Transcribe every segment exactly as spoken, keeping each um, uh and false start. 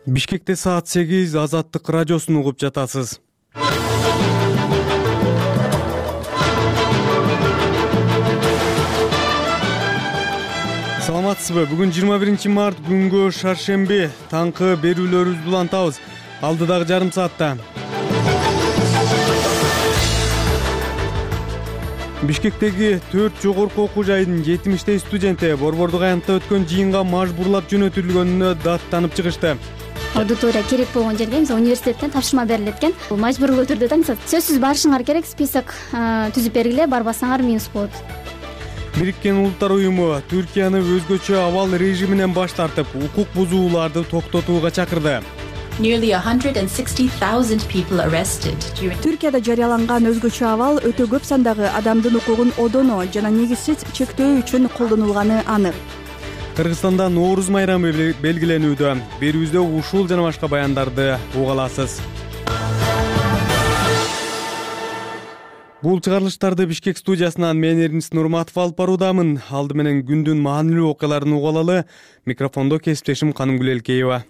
Бишкекте саат сегиз, Азаттык радиосун угуп жатасыз. Саламатсызбы? Бүгүн жыйырма биринчи март күнгө шаршемби. Таңкы берүүлөрүбүздү улантабыз. Алдыдагы жарым саатта. Бишкектеги төрт жогорку окуу жайдын жетимиштей студенти Борбордук аянтта өткөн жыйынга мажбурлап жөнөтүлгөнүнө даттанып чыгышты. Аудитория керек болгон жерге, мисалы университеттен тапшырма берилет экен. Бул мажбурлуу түрдө да, мисалы сөзсүз барышыңар керек, список түзүп бергиле, барбасаңар минус болот. Бириккен Улуттар уюму Түркияны өзгөчө абал режиминен баш тартып, укук бузууларды токтотууга чакырды. Nearly one hundred sixty thousand people arrested during Түркияда жарыяланган өзгөчө абал өтө көп сандагы адамдын укугун одоно жана негизсиз чектөө үчүн колдонулганы анык. Кыргызстанда Нооруз майрамы белгиленүүдө. Берүүбүздө ушул жана башка баяндарды уга аласыз. Бул чыгарылыштарды Бишкек студиясынан мен Эрнис Нурматов алып баруудамын. Алды менен күндүн маанилүү окуяларын уга алалы. Микрофондо кесиптешим Канымгүл Элкеева.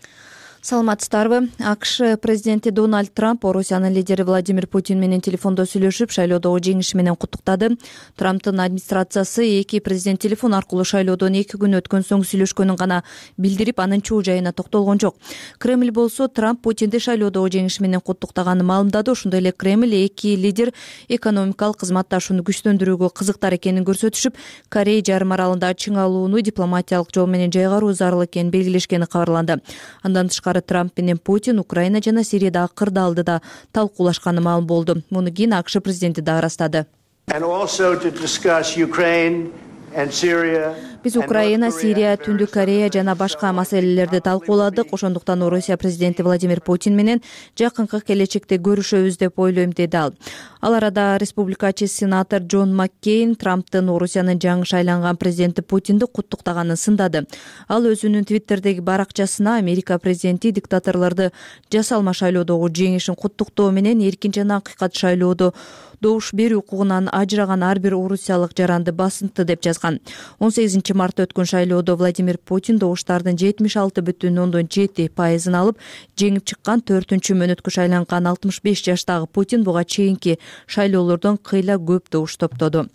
Саламатсыздарбы? АКШ президенти Дональд Трамп Орусиянын лидери Владимир Путин менен телефондо сүйлөшүп, шайлоодогу жеңиши менен куттуктады. Трамптын администрациясы эки президент телефон аркылуу шайлоодон эки күн өткөн соң сүйлөшкөнүн гана билдирип, анын чуу жайына токтолгон жок. Кремль болсо Трамп Путинди шайлоодогу жеңиши менен куттуктаганын маалымдады. Ошондой эле Кремль эки лидер экономикалык кызматташууну күчтөндүрүүгө кызыктар экенин көрсөтүшүп, Корей жарым аралында чың алууну дипломатиялык жол менен жайгаруу зарыл экенин белгилешкени кабарланды. Андан тышкары Трамп менен Путин Украина жана Сириядагы кырды алдыда талкуулашканы маалым болду. Муну кийин АКШ президенти да ырастады. Биз Украина, Сирия, Түндүк Корея жана башка маселелерди талкууладык. Ошондуктан Орусия президенти Владимир Путин менен жакынкы келечекте көрүшөбүз деп ойлойм, деди ал. Ал арада республикачы сенатор Джон Маккейн Трамптын Орусиянын жаңы шайланган президенти Путинди куттуктаганын сындады. Ал өзүнүн Твиттердеги баракчасына Америка президенти диктаторлорду жасалма шайлоодогу жеңишин куттуктоо менен эркин жана акыйкат шайлоодо добуш берүү укугунан ажыраган ар бир орусиялык жаранды басынтты деп жазган. он сегизинчи мартта өткөн шайлоодо Владимир Путин добуштардын жетимиш алты бүтүн ондон жети пайызын алып, жеңип чыккан. Төртүнчү мөөнөткө шайланган алтымыш беш жаштагы Путин буга чейинки шайлоолордон кыйла көп добуш топтоду.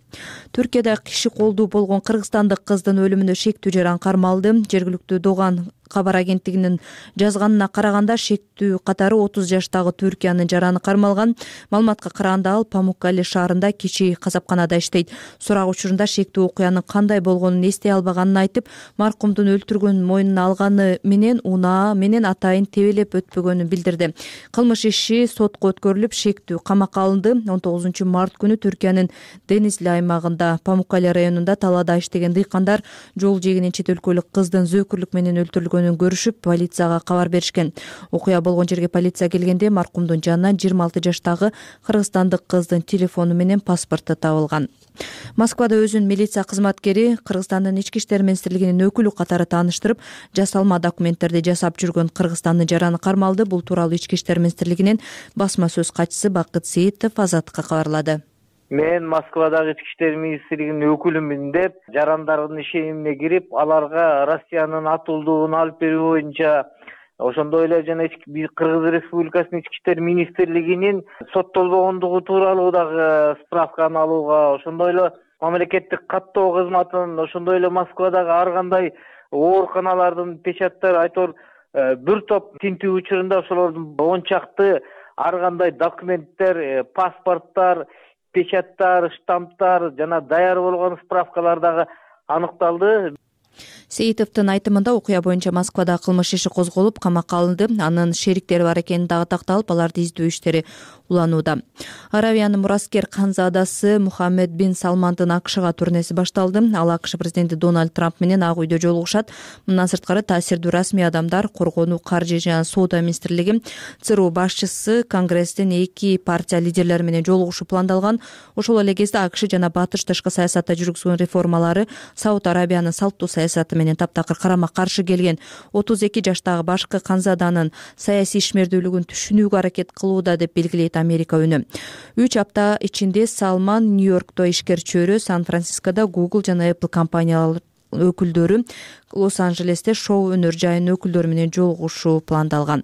Түркияда киши колдуу болгон кыргызстандык кыздын өлүмүнө шектүү жаран кармалды. Жергиликтүү Доган кабар агенттигинин жазганына караганда, шектүү катары отуз жаштагы Түркиянын жараны кармалган. Маалыматка караганда, ал Памуккале шаарында кичи касапканада иштейт. Сурак учурунда шектүү окуянын кандай болгонун эстей албаганын айтып, маркумдун өлтүргөнүн мойнуна алганы менен унаа менен атайын тебелеп өтпөгөнүн билдирди. Кылмыш иши сотко өткөрүлүп, шектүү камакка алынды. он тогузунчу март күнү Түркиянын Денизли аймагында Памуккале районунда талаада иштеген дыйкандар жол жээгинен чет өлкөлүк кыздын зөөкүрлүк менен өлтүрүлгөнүн көрүшүп, полицияга кабар беришкен. Окуя болгон жерге полиция келгенде маркумдун жанынан жыйырма алты жаштагы кыргызстандык кыздын телефону менен паспорту табылган. Москвада өзүн милиция кызматкери Кыргызстандын ички иштер министрлигинин өкүлү катары тааныштырып, жасалма документтерди жасап жүргөн Кыргызстандын жараны кармалды. Бул тууралуу ички иштер министрлигинин басма сөз катчысы Бакыт Сейитов Азаттыкка кабарлады. Мен Москвадагы ички иштер министрлигинин өкүлүмүн деп, жарандардын ишенимине кирип, аларга Россиянын атылдууну алып берүү боюнча, ошондой эле жана Кыргыз Республикасынын ички иштер министрлигинин соттолбогондугу тууралуу дагы справканы алууга, ошондой эле мамлекеттик каттоо кызматын, ошондой эле Москвадагы ар кандай ооруканалардын печаттары, айтор бир топ тинтүү учурунда ошолордун он чакты ар кандай документтер, паспорттар, печаттар, штамптар жана даяр болгон справкалар дагы аныкталды. Сейитовдун айтымында, окуя боюнча Москвада кылмыш иши козголуп, камакка алынды. Анын шериктери бар экени дагы такталып, аларды издөө иштери уланууда. Аравиянын мураскер канзадасы Мухаммед бин Салмандын АКШга турнеси башталды. Ал АКШ президенти Дональд Трамп менен Ак үйдө жолугушат. Мындан сырткары таасирдүү расмий адамдар, коргонуу, каржы жана соода министрлиги, ЦРУ башчысы, Конгресстин эки партия лидерлери менен жолугушуу пландалган. Ошол эле кезде АКШ жана Батыш тышкы саясатта жүргүзгөн реформалары Сауд Арабиянын салттуу саясаты менен таптакыр карама каршы келген отуз эки жаштагы башкы канзаданын саясий ишмердүүлүгүн түшүнүүгө аракет кылууда деп белгилейт Америка үнү. үч апта ичинде Салман Нью-Йоркто ишкер чөйрө, Сан-Францискодо Google жана Apple компаниялары өкүлдөрү Лос-Анжелесте шоу өнөр жайынын өкүлдөрү менен жолугушуу пландалган.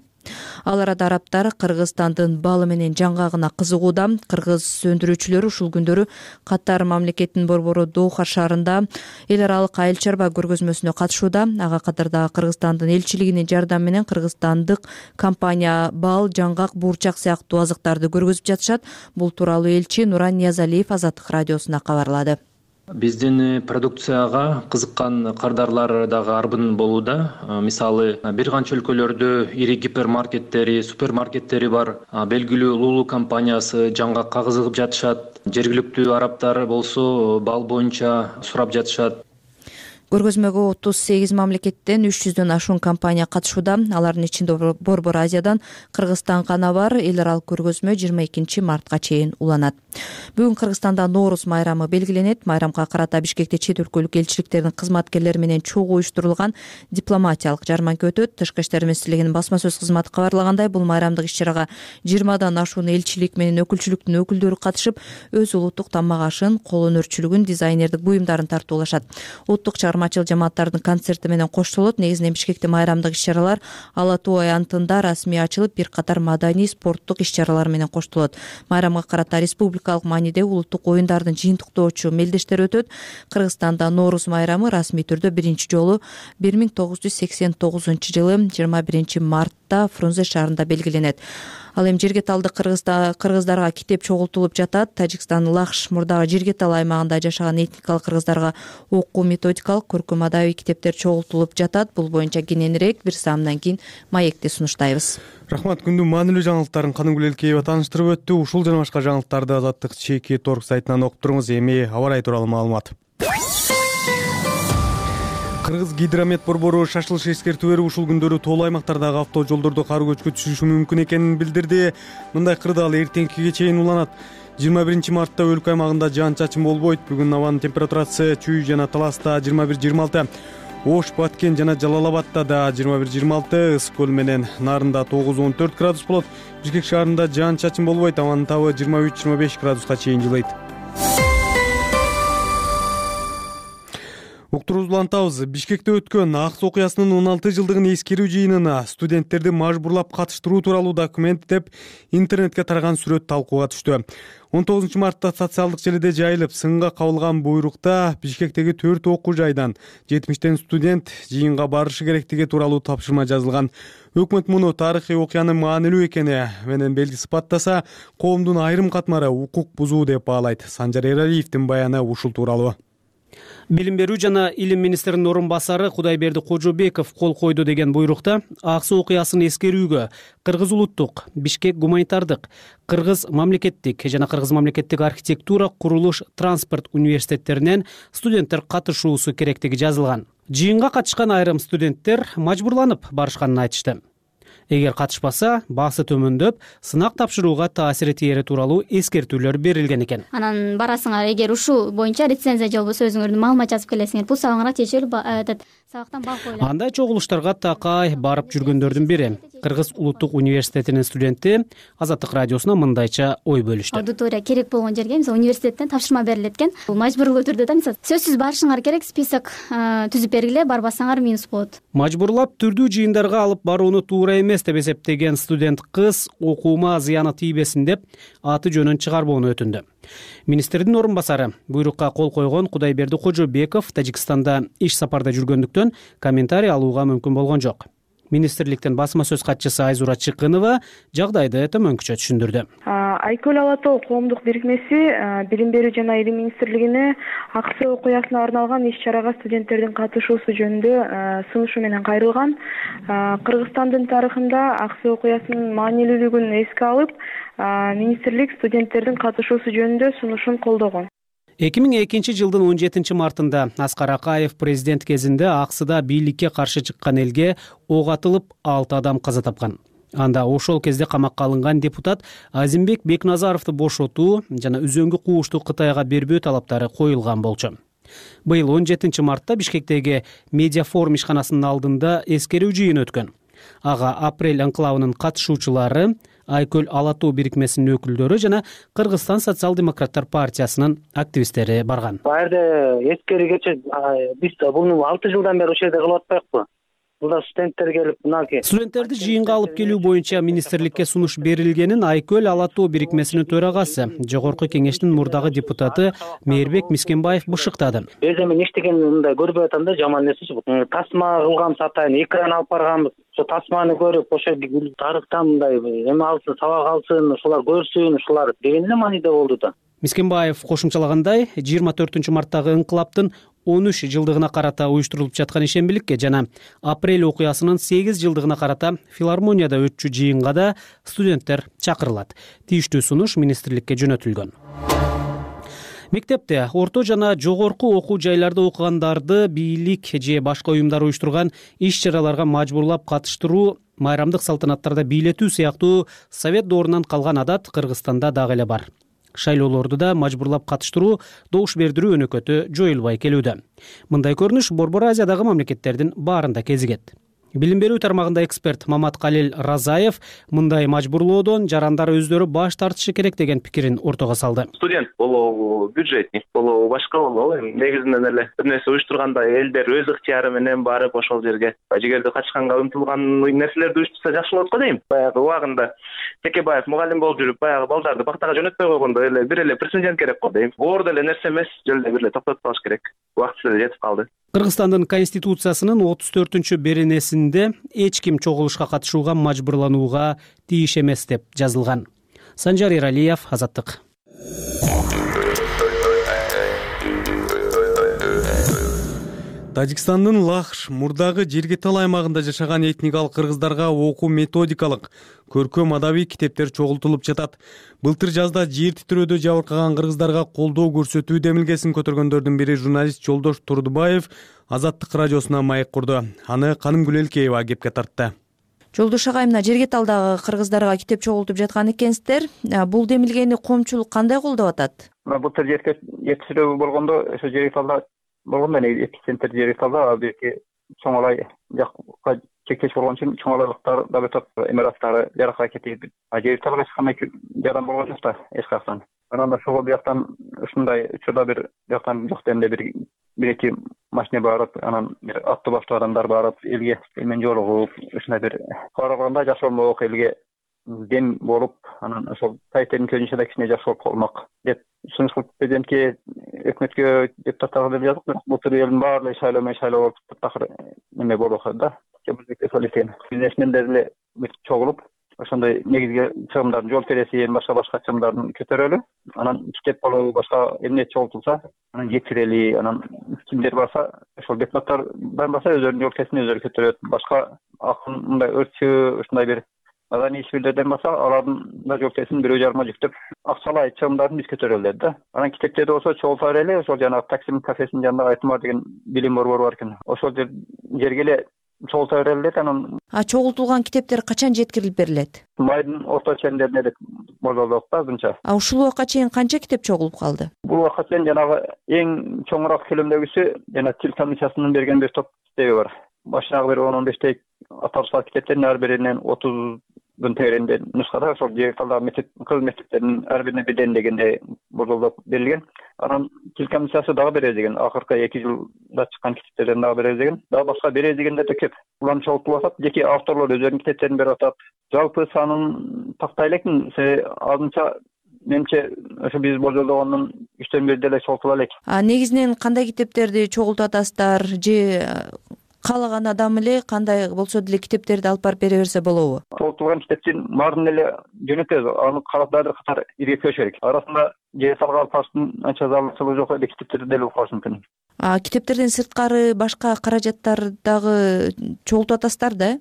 Ал арада арабтар Кыргызстандын балы менен жаңгагына кызыгууда. Кыргыз өндүрүүчүлөр ушул күндөрү Катар мамлекетинин борбору Доха шаарында эл аралык айыл чарба көргөзмөсүнө катышууда. Ага катарда Кыргызстандын элчилигинин жардамы менен кыргызстандык компания бал, жаңгак, буурчак сыяктуу азыктарды көргөзүп жатышат. Бул тууралуу элчи Нуран Ниязалиев Азаттык радиосуна кабарлады. Биздин продукцияга кызыккан кардарлар дагы арбын болууда. Мисалы, бир канча өлкөлөрдө ири гипермаркеттери, супермаркеттери бар. Белгилүү Лулу компаниясы жаңгакка кызыгып жатышат. Жергиликтүү арабтар болсо бал боюнча сурап жатышат. Көргөзмөгө отуз сегиз мамлекеттен үч жүздөн ашуун компания катышууда. Алардын ичинде Борбор Азиядан Кыргызстан гана бар. Эл аралык көргөзмө жыйырма экинчи мартка чейин уланат. Бүгүн Кыргызстанда Ноорус майрамы белгиленет. Майрамга карата Бишкекте чет өлкөлүк элчиликтердин кызматкерлери менен чогуу уюштурулган дипломатиялык жарманка өтөт. Тышкы иштер министрлигинин басма сөз кызматы кабарлагандай, бул майрамдык иш-чарага жыйырмадан ашуун элчилик менен өкүлчүлүктүн өкүлдөрү катышып, өз улуттук тамак ашын, кол өнөрчүлүгүн, дизайнердик буюмдарын тартуулашат. Улуттук чыгармачыл жамааттардын концерти менен коштолот. Негизинен Бишкекте майрамдык иш-чаралар Ала Тоо аянтында расмий ачылып, бир катар маданий, спорттук иш-чаралар менен коштолот. Майрамга карата республикалык мааниде улуттук оюндардын жыйынтыктоочу мелдештери өтөт. Кыргызстанда Ноорус майрамы расмий түрдө биринчи жолу бир миң тогуз жүз сексен тогузунчу жылы жыйырма биринчи мартта Фрунзе шаарында белгиленет. Ал эми Жергеталды кыргыздарга китеп чогултулуп жатат. Тажикстандын Лахш мурдагы Жергетал аймагында жашаган этникалык кыргыздарга окуу методикалык, көркөм адабий китептер чогултулуп жатат. Бул боюнча кененирээк бир саамдан кийин маекти сунуштайбыз. Рахмат. Күндүн маанилүү жаңылыктарын Каныгүл Элкеева тааныштырып өттү. Ушул жана башка жаңылыктарды Азаттык чеки торг сайтынан окуп туруңуз. Эми аба ырайы тууралуу маалымат. Кыргыз гидромет борбору шашылыш эскертүү берип, ушул күндөрү тоолуу аймактардагы автожолдордо кар көчкү түшүшү мүмкүн экенин билдирди. Мындай кырдаал эртеңкиге чейин уланат. жыйырма биринчи мартта өлкө аймагында жаан-чачын болбойт. Бүгүн абанын температурасы Чүй жана Таласта жыйырма бир жыйырма алты, Ош, Баткен жана Жалал Абадта да жыйырма бир жыйырма алты, Ысык көл менен Нарында тогуз он төрт градус болот. Бишкек шаарында жаан-чачын болбойт. Абанын табы жыйырма үч жыйырма беш градуска чейин жылыйт. Уктуруубузду улантабыз. Бишкекте өткөн Акс окуясынын он алты жылдыгын эскерүү жыйынына студенттерди мажбурлап катыштыруу тууралуу документ деп интернетке тараган сүрөт талкууга түштү. он тогузунчу мартта социалдык желиде жайылып, сынга кабылган буйрукта Бишкектеги төрт окуу жайдан жетимиштен студент жыйынга барышы керектиги тууралуу тапшырма жазылган. Өкмөт муну тарыхый окуянын маанилүү экени менен белги сыпаттаса, коомдун айрым катмары укук бузуу деп баалайт. Санжар Эралиевдин баяны ушул тууралуу. Билим берүү жана илим министринин орун басары Кудайберди Кожобеков кол койду деген буйрукта Аксы окуясын эскерүүгө Кыргыз улуттук, Бишкек гуманитардык, Кыргыз мамлекеттик жана Кыргыз мамлекеттик архитектура, курулуш, транспорт университеттеринен студенттер катышуусу керектиги жазылган. Жыйынга катышкан айрым студенттер мажбурланып барышканын айтышты. Эгер катышпаса, баасы төмөндөп, сынак тапшырууга таасири тиери тууралуу эскертүүлөр берилген экен. Анан барасыңар, эгер ушул боюнча рецензия же болбосо өзүңөрдүн маалымат жазып келесиңер, бул сабаңарга тиешелүү этот сабактан баа коюлат. Андай чогулуштарга такай барып жүргөндөрдүн бири Кыргыз улуттук университетинин студенти Азаттык радиосуна мындайча ой бөлүштү. Аудитория керек болгон жерге, мисалы университеттен тапшырма берилет экен. Бул мажбурлуу түрдө да, мисалы сөзсүз барышыңар керек, список түзүп бергиле, барбасаңар минус болот. Мажбурлап түрдүү жыйындарга алып барууну туура эмес деп эсептеген студент кыз окуума зыяны тийбесин деп аты жөнүн чыгарбоону өтүндү. Министрдин орун басары буйрукка кол койгон Кудайберди Кожобеков Тажикстанда иш сапарда жүргөндүктөн комментарий алууга мүмкүн болгон жок. Министрликтин басма сөз катчысы Айзура Чыкынова жагдайды төмөнкүчө түшүндүрдү. Айкөл Ала Тоо коомдук бирикмеси Билим берүү жана илим министрлигине Аксы окуясына арналган иш-чарага студенттердин катышуусу жөнүндө сунушу менен кайрылган. Кыргызстандын тарыхында Аксы окуясынын маанилүүлүгүн эске алып, министрлик студенттердин катышуусу жөнүндө сунушун колдогон. эки миң экинчи жылдын он жетинчи мартында Аскар Акаев президент кезинде Аксыда бийликке каршы чыккан элге ок атылып алты адам каза тапкан. Анда ошол кезде камакка алынган депутат Азимбек Бекназаровду бошотуу жана үзөңгү куушту Кытайга бербөө талаптары коюлган болчу. Быйыл он жетинчи мартта Бишкектеги Медиафорум ишканасынын алдында эскерүү жыйыны өткөн. Ага апрель анклавынын катышуучулары Айкөл ала тоо бирикмесинин өкүлдөрү жана Кыргызстан социал-демократтар партиясынын активисттери барган. Бул жерде эскери кече биз буну алты жылдан бери ошол жерде кылып атпайбыкпы? Бул студенттер келип, мынакей студенттерди жыйынга алып келүү боюнча министрликке сунуш берилгенин Айкөл ала тоо бирикмесинин төрагасы, жогорку кеңештин мурдагы депутаты Мээрбек Мискенбаев бышыктады. Өзү мен эчтеген мындай көрбөй атам да, жаман нерсечи. Тасма кылгам сатайын, экран алып барганбыз. Ошо тасманы көрүп, ошо тарыхтан мындай эме алсын, сабак алсын, ушулар көрсүн, ушулар деген эле мааниде болду да. Мискенбаев кошумчалагандай, жыйырма төртүнчү марттагы инкылаптын он үч жылдыгына карата уюштурулуп жаткан ишембиликке жана апрель окуясынын сегиз жылдыгына карата филармонияда өтчү жыйынга да студенттер чакырылат. Тийиштүү сунуш министрликке жөнөтүлгөн. Мектепте, орто жана жогорку окуу жайларда окугандарды бийлик же башка уюмдар уюштурган иш-чараларга мажбурлап катыштыруу, майрамдык салтанаттарда бийлетүү сыяктуу совет доорунан калган адат Кыргызстанда дагы эле бар. Шайлоолорду да мажбурлап катыштыруу, добуш бердирүү өнөкөтү жоюлбай келүүдө. Мындай көрүнүш Борбор Азиядагы мамлекеттердин баарында кезигет. Билим берүү тармагында эксперт Маматкалил Разаев мындай мажбурлоодон жарандар өздөрү баш тартышы керек деген пикирин ортого салды. Студент болобу, бюджетник болобу, башка болобу, негизинен эле бир нерсе уюштурганда элдер өз ыктыяры менен барып ошол жерге жигерди качканга умтулган нерселерди уюштурса жакшы болот го дейм. Баягы убагында Текебаев мугалим болуп жүрүп, баягы балдарды бактага жөнөтпөй койгондо эле бир эле президент керек го дейм. Оор деле нерсе эмес, жолдо бир эле токтотуп калыш керек. Убакыты эле жетип калды. Кыргызстандын конституциясынын отуз төртүнчү беренесинде эч ким чогулушка катышууга мажбурланууга тийиш эмес деп жазылган. Санжар Эралиев, Азаттык. Тажикстандын Лахш мурдагы Жергетал аймагында жашаган этникалык кыргыздарга окуу методикалык, көркөм адабий китептер чогултулуп жатат. Былтыр жазда жер титирөөдө жабыркаган кыргыздарга колдоо көрсөтүү демилгесин көтөргөндөрдүн бири журналист Жолдош Турдубаев Азаттык радиосуна маек курду. Аны Канымгүл Элкеева кепке тартты. Жолдош агай, мына Жергеталдагы кыргыздарга китеп чогултуп жаткан экенсиздер. Бул демилгени коомчулук кандай колдоп атат? Былтыр жер титирөө болгондо ошо Жергеталда болгондо эпицентр Жергеталда бирки чоңолай жакка чектеш болгон үчүн чоңолайлыктар да өтөп, эмираттары жаракка кетип, Жергеталга эч кандай жаран болгон жок да эч каяктан. Анан ошого бияктан ушундай учурда бир жактан жок демде бир бир эки машина барып, анан бир аттуу баштуу адамдар барып, элге элмен жолугуп, ушундай бир караганда жакшы болмок, элге дем болуп, анан ошол тайтердин көзүнчө да кичине жакшы болуп калмак деп сунуш кылып президентке, өкмөткө, депутаттарга деп жаздык. Бирок былтыр элдин баары шайлоо менен шайлоо болуп такыр эме болуп калды да. Кебулдукте сол экен. Бизнесмендер эле чогулуп, ошондой негизги чыгымдардын жол кересин, башка башка чыгымдарын көтөрөлү. Анан китеп болобу, башка эмне чогултулса, анан жеткирели. Анан кимдер барса, ошол депутаттар барбаса өздөрүнүн жол кересин өздөрү көтөрөт. Башка акын мындай өртчү, ушундай бир маданий ишмерлерден барса, алардын да жол кересин бирөө жарыма жүктөп, акчалай чыгымдарын биз көтөрөлү деди да. Анан китептерди болсо чогулта берели, ошол жанагы Таксим кафесинин жанында Айтмар деген билим борбору бар экен. Ошол жерге эле чогулта берели деди. Анан А чогултулган китептер качан жеткирилип берилет? Майдын орто чендеринде деп болжолдук да азырынча. А ушул убакка чейин канча китеп чогулуп калды? Бул убакка чейин жанагы эң чоңураак көлөмдөгүсү жана Тил комиссиясынын берген бир топ китеби бар. Башынагы бир он он бештей аталышкан китептердин ар биринен отуздун тегерегинде нускада ошол Жергеталдагы мектеп, кыргыз мектептеринин ар бирине бирден дегенде болжолдоп берилген. Анан Тил комиссиясы дагы беребиз деген, акыркы эки жылда чыккан китептерден дагы беребиз деген. Дагы башка беребиз дегендер да көп. Буларны чогултуп атат, жеке авторлор өздөрүнүн китептерин берип атат. Жалпы санын тактай элекмин, азырынча менимче ошо биз болжолдогондун үчтөн бир деле чогултула элек. А негизинен кандай китептерди чогултуп атасыздар же каалаган адам эле кандай болсо деле китептерди алып барып бере берсе болобу? Чогултулган китептин баарын эле жөнөтөбүз. Аны карап дагы катар иргетпеш керек. Арасында Жергеталга алып барыштын анча зарылчылыгы жок эле китептерди деле окуш мүмкүн. А китептерден сырткары башка каражаттар дагы чогултуп атасыздар да?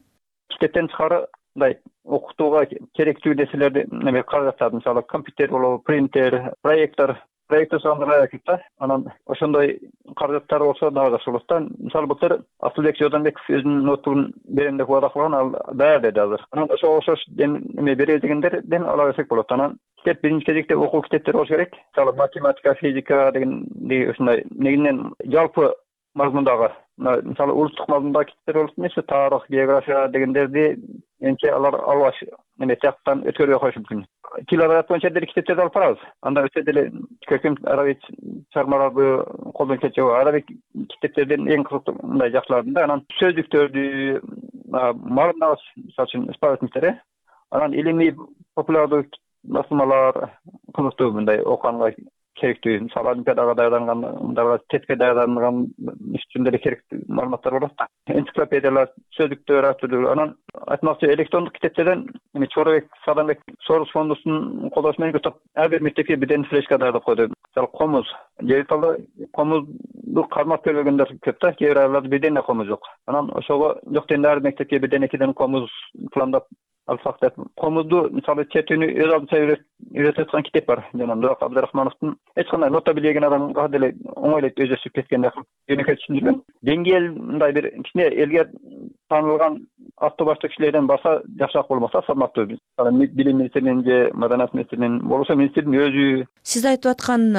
Китептен тышкары мындай окутууга керектүү нерселерди, эме каражаттар, мисалы компьютер болобу, принтер, проектор, проектор сандырга кетти да. Анан ошондой каражаттар болсо дагы жакшы болот да. Мисалы былтыр Асылбек Жодонбеков өзүнүн ноутбугун берем деп убада кылган, ал даяр деди азыр. Анан ошо окшош эме беребиз дегендерден ала берсек болот. Анан китеп биринчи кезекте окуу китептер болуш керек. Мисалы математика, физика дегендей ушундай негизинен жалпы мазмундагы, мисалы улуттук мазмундагы китептер болуп эмес, тарых, география дегендерди менимче алар албаш эме тияктан өткөрбөй коюшу мүмкүн. Тил адаят боюнча деле китептерди алып барабыз. Анда өтө деле көркөм адаби чыгармаларды колдон келчү адаби китептердин эң кызыктуу мындай жакшыларын да анан сөздүктөрдү маарындагы мисалы үчүн исповедниктер анан илимий популярдуу басылмалар кызыктуу мындай окуганга керектүү. Мисалы олимпиадага даярдангандарга тестке даярданган үчүн деле керектүү маалыматтар болот да. Энциклопедиялар, сөздүктөр ар түрдүү. Анан айтмакчы электрондук китептерден эми Чоробек Садамбек Сорус фондусунун колдоосу менен көтөп ар бир мектепке бирден флешка даярдап койду. Мисалы комуз, Жериталда комузду кармап көрбөгөндөр көп да, кээ бир айылдарда бирден эле комуз жок. Анан ошого жок дегенде ар мектепке бирден экиден комуз пландап алсак деп. Комузду мисалы чертүүнү өз алдынча үйрөтүп аткан китеп бар. Жана Нурак Абдрахмановдун эч кандай нота билбеген адамга деле оңойлойт өзү өсүп кеткенде жөнөкөй түшүндүргөн. Деңгээл мындай бир кичине элге таанылган аты баштуу кишилерден барса жакшыраак болмокта, салмактуу. Мисалы билим министринин же маданият министринин болбосо министрдин өзү. Сиз айтып аткан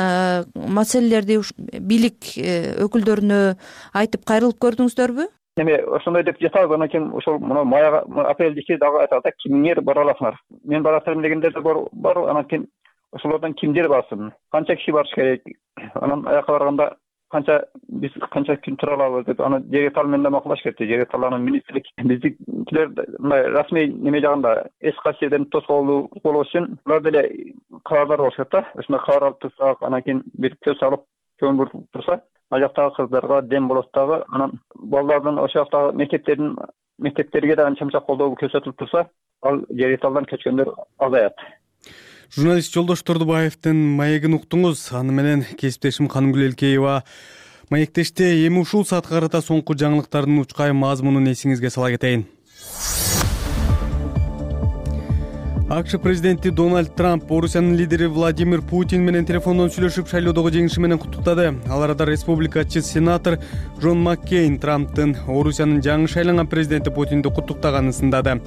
маселелерди бийлик өкүлдөрүнө айтып кайрылып көрдүңүздөрбү? Эме ошондой деп жатабыз, анан кийин ошол мына маяга апрелдики дагы айтат да, кимиңер бара аласыңар. Мен барасыздар дегендер да бар, анан кийин ошолордон кимдер барсын, канча киши барыш керек, анан аяка барганда канча биз канча күн тура алабыз деп аны Жеритал менен да макулдаш керек. Жеритал анын министрлик биздикилер мындай расмий неме жагында эс касиерден тоскоолдуу болуш үчүн булар деле кабардар болуш керек да. Ошондой кабар алып турсак, анан кийин бир көз салып көңүл буруп турса, ал жактагы кыздарга дем болот дагы. Анан балдардын ошол жактагы мектептердин мектептерге да анча-мынча колдоо көрсөтүлүп турса, ал Жериталдан көчкөндөр азаят. Журналист Жолдош Тордубаевдин маегин уктуңуз. Аны менен кесиптешим Канымгүл Элкеева маектеште. Эми ушул саатка карата соңку жаңылыктардын учкай мазмунун эсиңизге сала кетейин. АКШ президенти Дональд Трамп Орусиянын лидери Владимир Путин менен телефондон сүйлөшүп, шайлоодогу жеңиши менен куттуктады. Ал арада республикачы сенатор Джон Маккейн Трамптын Орусиянын жаңы шайланган президенти Путинди куттуктаганын сындады.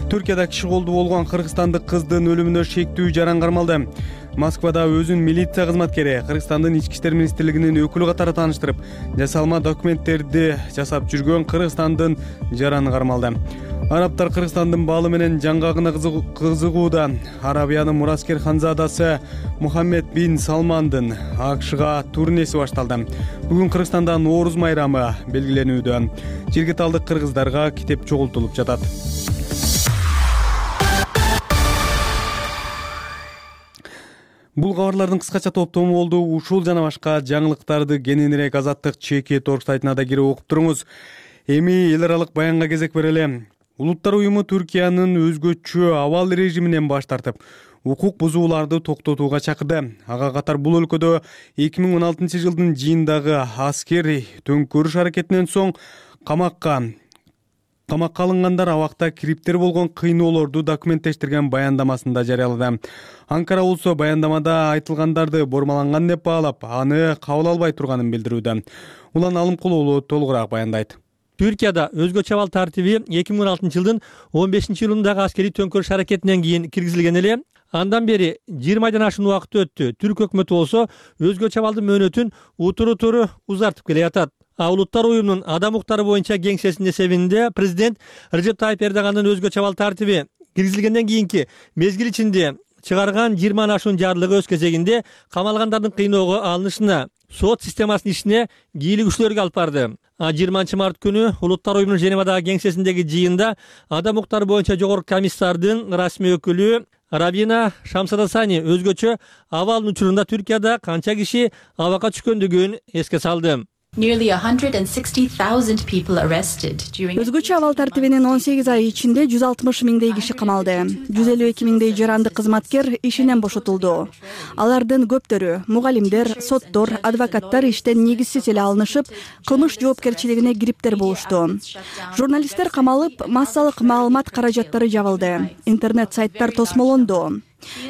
Түркияда киши колдуу болгон кыргызстандык кыздын өлүмүнө шектүү жаран кармалды. Москвада өзүн милиция кызматкери Кыргызстандын ички иштер министрлигинин өкүлү катары тааныштырып, жасалма документтерди жасап жүргөн Кыргызстандын жараны кармалды. Арабтар Кыргызстандын баалы менен жаңгагына кызыгууда. Арабиянын мураскер ханзадасы Мухаммед бин Салмандын АКШга турнеси башталды. Бүгүн Кыргызстанда Нооруз майрамы белгиленүүдө. Жергиликтүү кыргыздарга китеп чогултулуп жатат. Бул кабарлардын кыскача топтому болду. Ушул жана башка жаңылыктарды кененирээк Азаттык чеки торг сайтына да кирип окуп туруңуз. Эми эл аралык баянга кезек берели. Улуттар уюму Түркиянын өзгөчө абал режиминен баш тартып, укук бузууларды токтотууга чакырды. Ага катар бул өлкөдө эки миң он алтынчы жылдын жыйындагы аскери төңкөрүш аракетинен соң камакка камакка алынгандар абакта кириптер болгон кыйноолорду документтештирген баяндамасында жарыялады. Анкара болсо баяндамада айтылгандарды бормаланган деп баалап, аны кабыл албай турганын билдирүүдө. Улан Алымкулуулу толугураак баяндайт. Түркияда өзгөчө абал тартиби эки миң он алтынчы жылдын он бешинчи июлундагы аскерий төңкөрүш аракетинен кийин киргизилген эле. Андан бери жыйырма айдан ашуун убакыт өттү. Түрк өкмөтү болсо өзгөчө абалдын мөөнөтүн утуру-туру узартып келе жатат. А Улуттар уюмунун адам укуктары боюнча кеңсесинин эсебинде президент Режеп Тайып Эрдогандын өзгөчө абал тартиби киргизилгенден кийинки мезгил ичинде чыгарган жыйырмадан ашуун жарлыгы өз кезегинде камалгандардын кыйноого алынышына, сот системасынын ишине кийлигүүчүлөргө алып барды. жыйырманчы март күнү Улуттар уюмунун Женевадагы кеңсесиндеги жыйында адам укуктары боюнча жогорку комиссардын расмий өкүлү Рабина Шамсадасани өзгөчө абалдын учурунда Түркияда канча киши абакка түшкөндүгүн эске салды. Nearly one hundred sixty thousand people arrested during Өзгөчө абал тартибинин он сегиз ай ичинде жүз алтымыш миңдей киши камалды. жүз элүү эки миңдей жаранды кызматкер ишинен бошотулду. Алардын көптөрү мугалимдер, соттор, адвокаттар иштен негизсиз эле алынышып, кылмыш жоопкерчилигине кириптер болушту. Журналисттер камалып, массалык маалымат каражаттары жабылды. Интернет сайттар тосмолонду.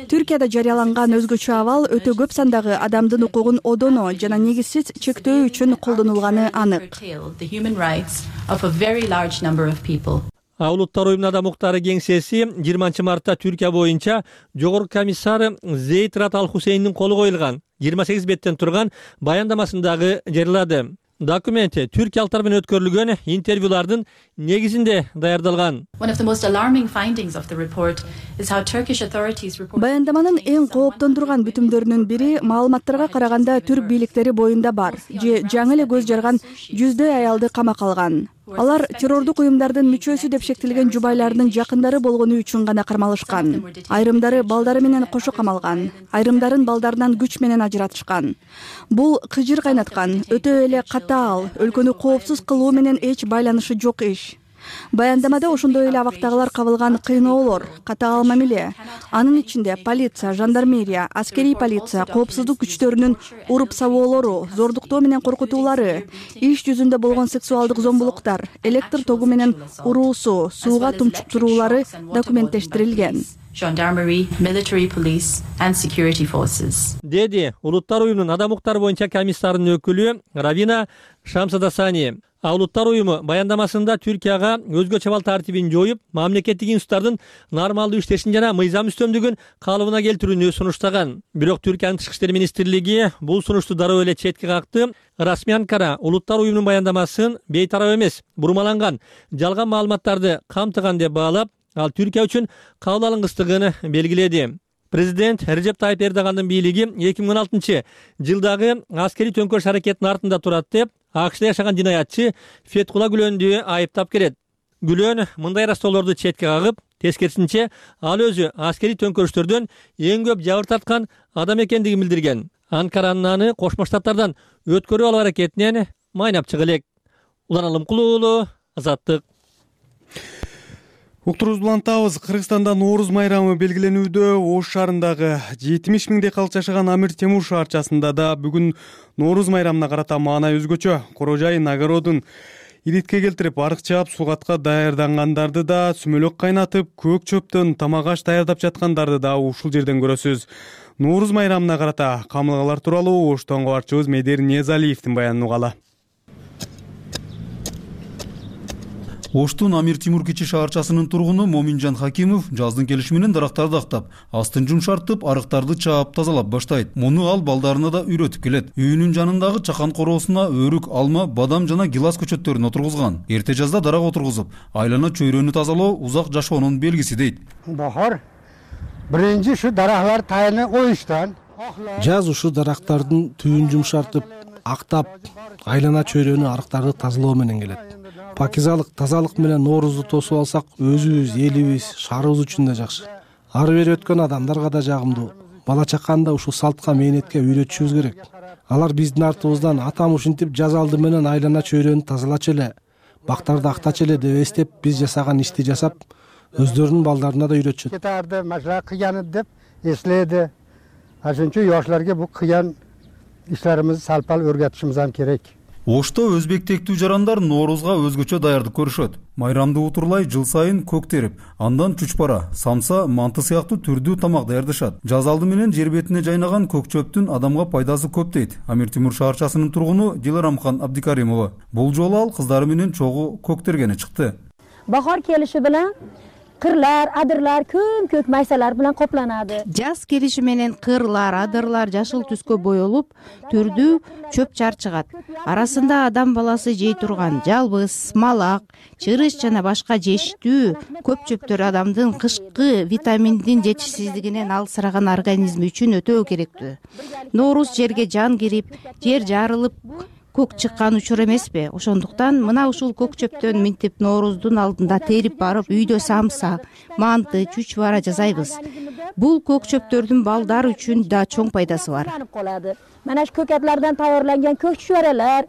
Түркияда жарыяланган өзгөчө абал өтө көп сандагы адамдын укугун одоно жана негизсиз чектөө үчүн колдонулганы анык. Улуттар уюмунун адам укуктары кеңсеси жыйырманчы мартта Түркия боюнча жогорку комиссар Зейт Рат Ал Хусейндин колу коюлган жыйырма сегиз беттен турган баяндамасындагы жарыялады. Документ түркиялыктар менен өткөрүлгөн интервьюлардын негизинде даярдалган. Баяндаманын эң кооптондурган бүтүмдөрүнүн бири маалыматтарга караганда түрк бийликтери боюнда бар же жаңы эле көз жарган жүздөй аялды камакка алган. Алар террордук уюмдардын мүчөсү деп шектелген жубайларынын жакындары болгону үчүн гана кармалышкан. Айрымдары балдары менен кошо камалган, айрымдарын балдарынан күч менен ажыратышкан. Бул кыжыр кайнаткан, өтө эле катаал, өлкөнү коопсуз кылуу менен эч байланышы жок иш. Баяндамада ошондой эле абактагылар кабылган кыйноолор, катаал мамиле, анын ичинде полиция, жандармерия, аскерий полиция, коопсуздук күчтөрүнүн уруп сабоолору, зордуктоо менен коркутуулары, иш жүзүндө болгон сексуалдык зомбулуктар, электр тогу менен уруусу, сууга тумчуктуруулары документтештирилген. Gendarmerie, military police and security forces. Деди Улуттар уюмунун адам укуктары боюнча комиссарынын өкүлү Равина Шамсадасани. Улуттар уюму баяндамасында Түркияга өзгө чабал тартибин жоюп, мамлекеттик институттардын нормалдуу иштешин жана мыйзам үстөмдүгүн калыбына келтирүүнү сунуштаган. Бирок Түркиянын тышкы иштер министрлиги бул сунушту дароо эле четке какты. Расмий Анкара Улуттар уюмунун баяндамасын бейтарап эмес, бурмаланган, жалган маалыматтарды камтыган деп баалап, ал Түркия үчүн кабыл алынгыстыгын белгиледи. Президент Режеп Тайып Эрдогандын бийлиги эки миң он алтынчы жылдагы аскерий төңкөрүш аракетинин артында турат деп АКШда жашаган жинаятчы Фетхула Гүлөндү айыптап келет. Гүлөн мындай растоолорду четке кагып, тескерисинче ал өзү аскерий төңкөрүштөрдөн эң көп жабыр тарткан адам экендигин билдирген. Анкаранын аны Кошмо Штаттардан өткөрүп алуу аракетинен майнап чыга элек. Улан Алымкулуу уулу, Азаттык. Уктурубузду улантабыз. Кыргызстанда Нооруз майрамы белгиленүүдө. Ош шаарындагы жетимиш миңдей калк жашаган Амир Темур шаарчасында да бүгүн Нооруз майрамына карата маана өзгөчө. Корожайын огородун иритке келтирип, арык чаап, сугатка даярдангандарды да, сүмөлөк кайнатып, көк чөптөн тамак аш даярдап жаткандарды да ушул жерден көрөсүз. Нооруз майрамына карата камылгалар тууралуу Оштон кабарчыбыз Медер Ниязалиевдин баянын угалы. Оштун Амир Темур кичи шаарчасынын тургуну Моминжан Хакимов жаздын келиши менен дарактарды актап, астын жумшартып, арыктарды чаап, тазалап баштайт. Муну ал балдарына да үйрөтүп келет. Үйүнүн жанындагы чакан короосуна өрүк, алма, бадам жана гилас көчөттөрүн отургузган. Эрте жазда дарак отургузуп, айлана чөйрөнү тазалоо узак жашоонун белгиси дейт. Бахар биринчи ушу дарактар тайыны коюштан. Жаз ушу дарактардын түйүн жумшартып, актап, айлана чөйрөнү, арыктарды тазалоо менен келет. Пакизалык, тазалык менен Ноорузду тосуп алсак, өзүбүз, элибиз, шаарыбыз үчүн да жакшы. Ары бери өткөн адамдарга да жагымдуу. Бала чаканы да ушул салтка, мээнетке үйрөтүшүбүз керек. Алар биздин артыбыздан атам ушинтип жаз алды менен айлана чөйрөнү тазалачу эле, бактарды актачу эле деп эстеп, биз жасаган ишти жасап, өздөрүнүн балдарына да үйрөтүшөт. Кетарды, машина кыяны деп эследи. Ошончо жаштарга бу кыян иштерибизди салпал өргөтүшүбүз керек. Ошто өзбек тектүү жарандар Ноорузга өзгөчө даярдык көрүшөт. Майрамды утурлай жыл сайын көк терип, андан чучпара, самса, манты сыяктуу түрдүү тамак даярдашат. Жаз алды менен жер бетине жайнаган көк чөптүн адамга пайдасы көп дейт Амир Темур шаарчасынын тургуну Диларамхан Абдикаримова. Бул жолу ал кыздары менен чогуу көк тергени чыкты. Bahor kelishi bilan кырлар, адырлар, көм-көк майсалар менен копланады. Жаз келиши менен кырлар, адырлар жашыл түскө боелуп, түрдүү чөп чар чыгат. Арасында адам баласы жей турган жалбыз, малак, чырыш жана башка жештүү көп чөптөр адамдын кышкы витаминдин жетишсиздигинен алсыраган организми үчүн өтө керектүү. Нооруз жерге жан кирип, жер жарылып, көк чыккан учур эмеспи? Ошондуктан мына ушул көк чөптөн минтип Нооруздун алдында терип барып, үйдө самса, манты, чучвара жасайбыз. Бул көк чөптөрдүн балдар үчүн да чоң пайдасы бар. Мына ушу көкөтлөрдөн тайярланган көк чучваралар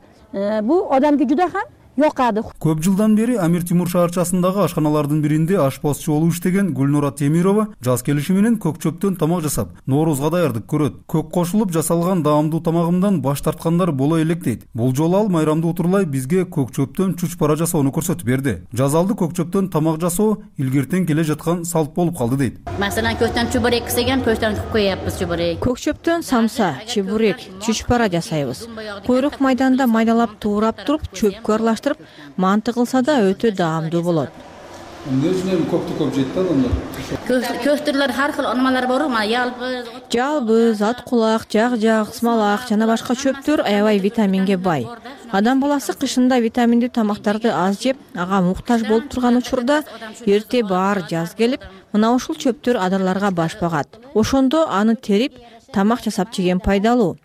бул адамга жуда ham yoqadi. Көп жылдан бери Амир Темур шаарчасындагы ашканалардын биринде ашпазчы болуп иштеген Гүлнура Темирова жаз келиши менен көк чөптөн тамак жасап, Ноорузга даярдык көрөт. Көк кошулуп жасалган даамдуу тамагымдан баш тарткандар боло элек дейт. Бул жолу ал майрамды утурлай бизге көк чөптөн чучпара жасоону көрсөтүп берди. Жаз алды көк чөптөн тамак жасоо илгертен келе жаткан салт болуп калды дейт. Masalan, көктөн чубурек десеген көктөн коёбуз чубурек. Көк чөптөн самса, чебурек, чучпара жасайбыз. Койрок майданда майдалап туурап туруп чөпкө аралаштырып, манты кылса да өтө даамдуу болот. эмне үчүн эми көптү көп жейт да адамдар? Көктүрлөр ар кыл ормалар бар, мына ялбыз, жалбыз, ат кулак, жак жак, смалак жана башка чөптөр аябай витаминге бай. Адам баласы кышында витаминдүү тамактарды аз жеп, ага муктаж болуп турган учурда эрте баар жаз келип, мына ушул чөптөр адырларга баш багат. Ошондо аны терип, тамак жасап жеген пайдалуу.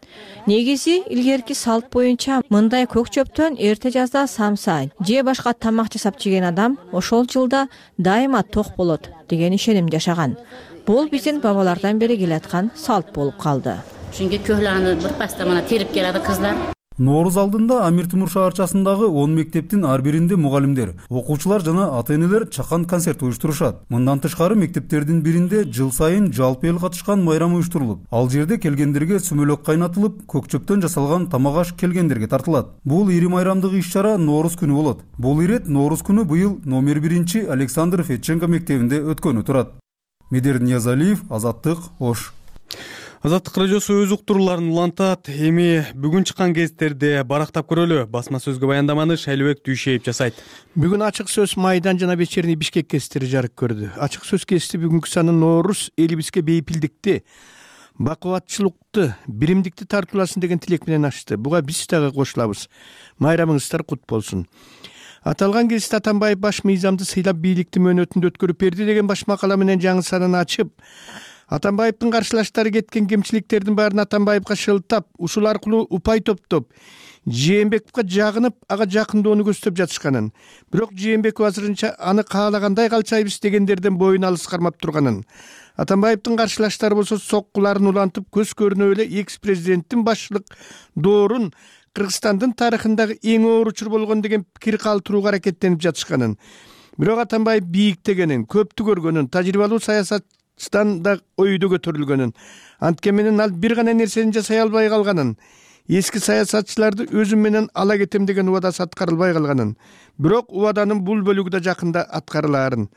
Негизи илгерки салт боюнча мындай көк чөптөн эрте жазда самса же башка тамак жасап жеген адам ошол жылда дайыма ток болот деген ишеним жашаган. Бул биздин бабалардан бери келаткан салт болуп калды. Чүнкү көйлөңү бир паста мына терип келadi кыздар. Нооруз алдында Амир Темур шаарчасындагы он мектептин ар биринде мугалимдер, окуучулар жана ата-энелер чакан концерт уюштурушат. Мындан тышкары мектептердин биринде жыл сайын жалпы эл катышкан майрам уюштурулуп, ал жерде келгендерге сүмөлөк кайнатылып, көк чөптөн жасалган тамак аш келгендерге тартылат. Бул ири майрамдык иш-чара Нооруз күнү болот. Бул ирет Нооруз күнү быйыл номер биринчи Александр Федченко мектебинде өткөнү турат. Медер Ниязалиев, Азаттык, Ош. Азаттык радиосу өз уктурууларын улантат. Эми бүгүн чыккан гезиттерди барактап көрөлү. Басма сөзгө баяндаманы Шайлыбек Дүйшеев жасайт. Бүгүн ачык сөз Майдан жана Вечерний Бишкек гезиттери жарык көрдү. Ачык сөз гезити бүгүнкү саны Нооруз элибизге бейпилдикти, бакубатчылыкты, биримдикти тартууласын деген тилек менен ачты. Буга биз дагы кошулабыз. Майрамыңыздар кут болсун. Аталган гезит Атамбаев баш мыйзамды сыйлап бийликти мөөнөтүндө өткөрүп берди деген баш макала менен жаңы санын ачып, Атамбаевдин каршылаштары кеткен кемчиликтердин баарын Атамбаевга шылтап, ушул аркылуу упай топтоп, Жээнбековго жагынып, ага жакындоону көздөп жатышканын, бирок Жээнбеков азырынча аны каалагандай калчайбыз дегендерден боюн алыс кармап турганын, Атамбаевдин каршылаштары болсо соккуларын улантып, көз көрүнө эле экс-президенттин башчылык доорун Кыргызстандын тарыхындагы эң оор учур болгон деген пикир калтырууга аракеттенип жатышканын, бирок Атамбаев бийиктегенин, көптү көргөнүн, тажрыйбалуу саясат да ойдо көтөрүлгөнүн, анткени менен ал бир гана нерсени жасай албай калганын, эски саясатчыларды өзүм менен ала кетем деген убадасы аткарылбай калганын, бирок убаданын бул бөлүгү да жакында аткарылаарын.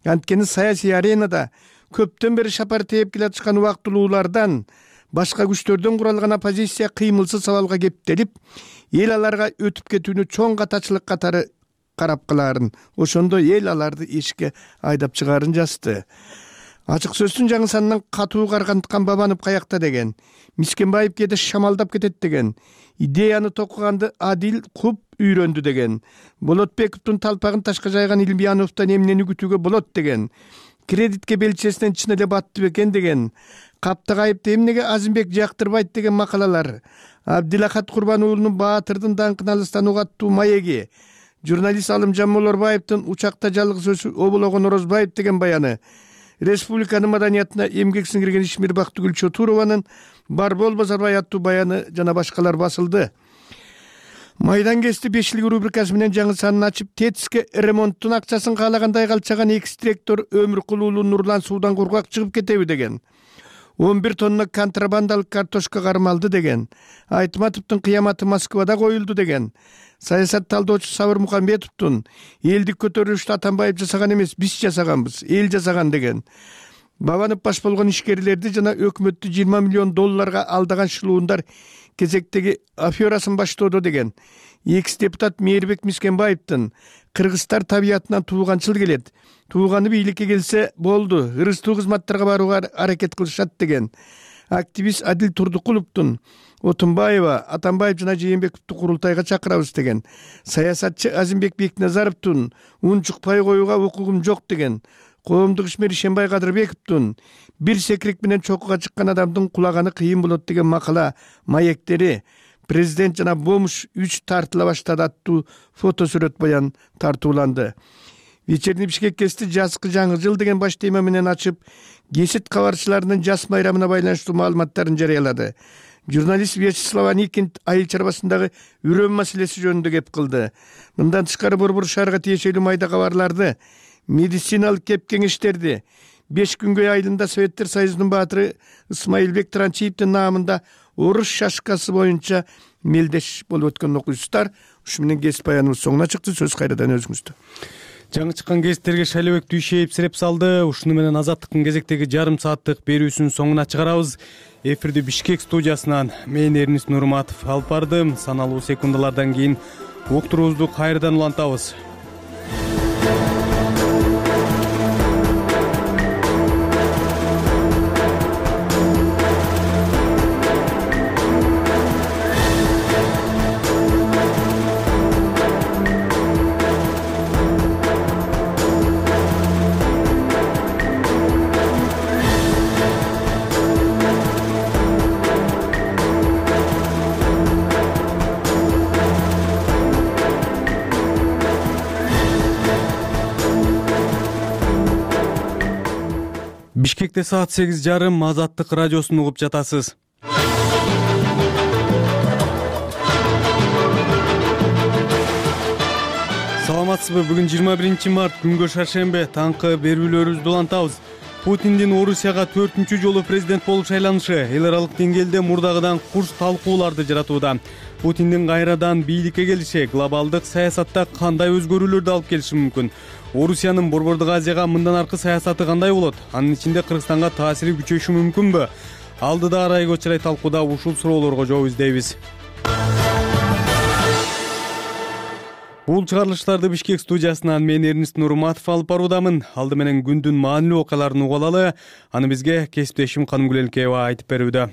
Анткени саясий аренада көптөн бери шапар тээп келатышкан убактылуулардан, башка күчтөрдөн куралган оппозиция кыймылсыз абалга кептелип, эл аларга өтүп кетүүнү чоң катачылык катары карап калаарын, ошондо эл аларды эшикке айдап чыгаарын жазды. Ачык сөздүн жаңы санынан катуу карганткан Бабанов каякта деген, Мискенбаев кээде шамалдап кетет деген, идеяны токуганды Адил куп үйрөндү деген, Болотбековдун талпагын ташка жайган Илбияновдон эмнени күтүүгө болот деген, кредитке белчесинен чын эле батты бекен деген, Каптагайыпты эмнеге Азимбек жактырбайт деген макалалар, Абдилахат Курбан уулунун Баатырдын даңкын алыстан угаттуу маеги, журналист Алымжан Молорбаевдин учакта жалгыз өсүп обологон Орозбаев деген баяны, республиканын маданиятына эмгек сиңирген Ишмир Бактыгүл Чотурованын Барбол Базарбай аттуу баяны жана башкалар басылды. Майдан гезити бешилик рубрикасы менен жаңы санын ачып, ТЭЦке ремонттун акчасын каалагандай калчаган экс-директор Өмүркул уулу Нурлан суудан кургак чыгып кетеби деген, он бир тонна контрабандалык картошка кармалды деген, Айтматовдун кыяматы Москвада коюлду деген, саясат талдоочу Сабыр Мукамбетовдун элдик көтөрүлүштү Атамбаев жасаган эмес, биз жасаганбыз, эл жасаган деген, Бабанов баш болгон ишкерлерди жана өкмөттү жыйырма миллион долларга алдаган шылуундар кезектеги аферасын баштоодо деген, экс-депутат Мээрбек Мискенбаевдин кыргыздар табиятынан тууганчыл келет, тууганы бийликке келсе болду, ырыстуу кызматтарга барууга аракет кылышат деген, активист Адил Турдукуловдун Отунбаева, Атамбаев жана Жээнбековду курултайга чакырабыз деген, саясатчы Азимбек Бекназаровдун унчукпай коюуга укугум жок деген, коомдук ишмер Ишенбай Кадырбековдун бир секирек менен чокуга чыккан адамдын кулаганы кыйын болот деген макала маектери, президент жана Бомуш үч тартыла баштады аттуу фотосүрөт баян тартууланды. Вечерний Бишкек гезити жазкы жаңы жыл деген баш тема менен ачып, гезит кабарчыларынын жаз майрамына байланыштуу маалыматтарын жарыялады. Журналист Вячеслав Аникин айыл чарбасындагы үрөм маселеси жөнүндө кеп кылды. Мындан тышкары Борбор шаарга тиешелүү майда кабарларды, медициналык кеп кеңештерди, беш күнгөй айылында Советтер Союзунун баатыры Исмаилбек Транчиевдин наамында орус шашкасы боюнча мелдеш болуп өткөн окуйсуздар. Ушу менен гезит баяныбыз соңуна чыкты. Сөз кайрадан өзүңүздө. Жаңы чыккан гезиттерге Шайлыбек Дүйшеев сиреп салды. Ушуну менен Азаттыктын кезектеги жарым сааттык берүүсүнүн соңуна чыгарабыз. Эфирди Бишкек студиясынан мен Эрнис Нурматов алып бардым. Саналуу секундалардан кийин уктуруубузду кайрадан улантабыз. Бишкекте саат сегиз жарым Азаттык радиосун угуп жатасыз. Саламатсызбы? Бүгүн жыйырма биринчи март, күнгө шаршембе. Таңкы берүүлөрүбүздү улантабыз. Путиндин Орусияга төртүнчү жолу президент болуп шайланышы эл аралык деңгээлде мурдагыдан курч талкууларды жаратууда. Путиндин кайрадан бийликке келиши глобалдык саясатта кандай өзгөрүүлөрдү алып келиши мүмкүн? Орусиянын Борбордук Азияга мындан аркы саясаты кандай болот? Анын ичинде Кыргызстанга таасири күчөшү мүмкүнбү? Алдыда арайга чырай талкууда ушул суроолорго жооп издейбиз. Бул чыгарылыштарды Бишкек студиясынан мен Эрнист Нурматов алып баруудамын. Алды менен күндүн маанилүү окуяларын угуп алалы. Аны бизге кесиптешим Канымгүл Элкеева айтып берүүдө.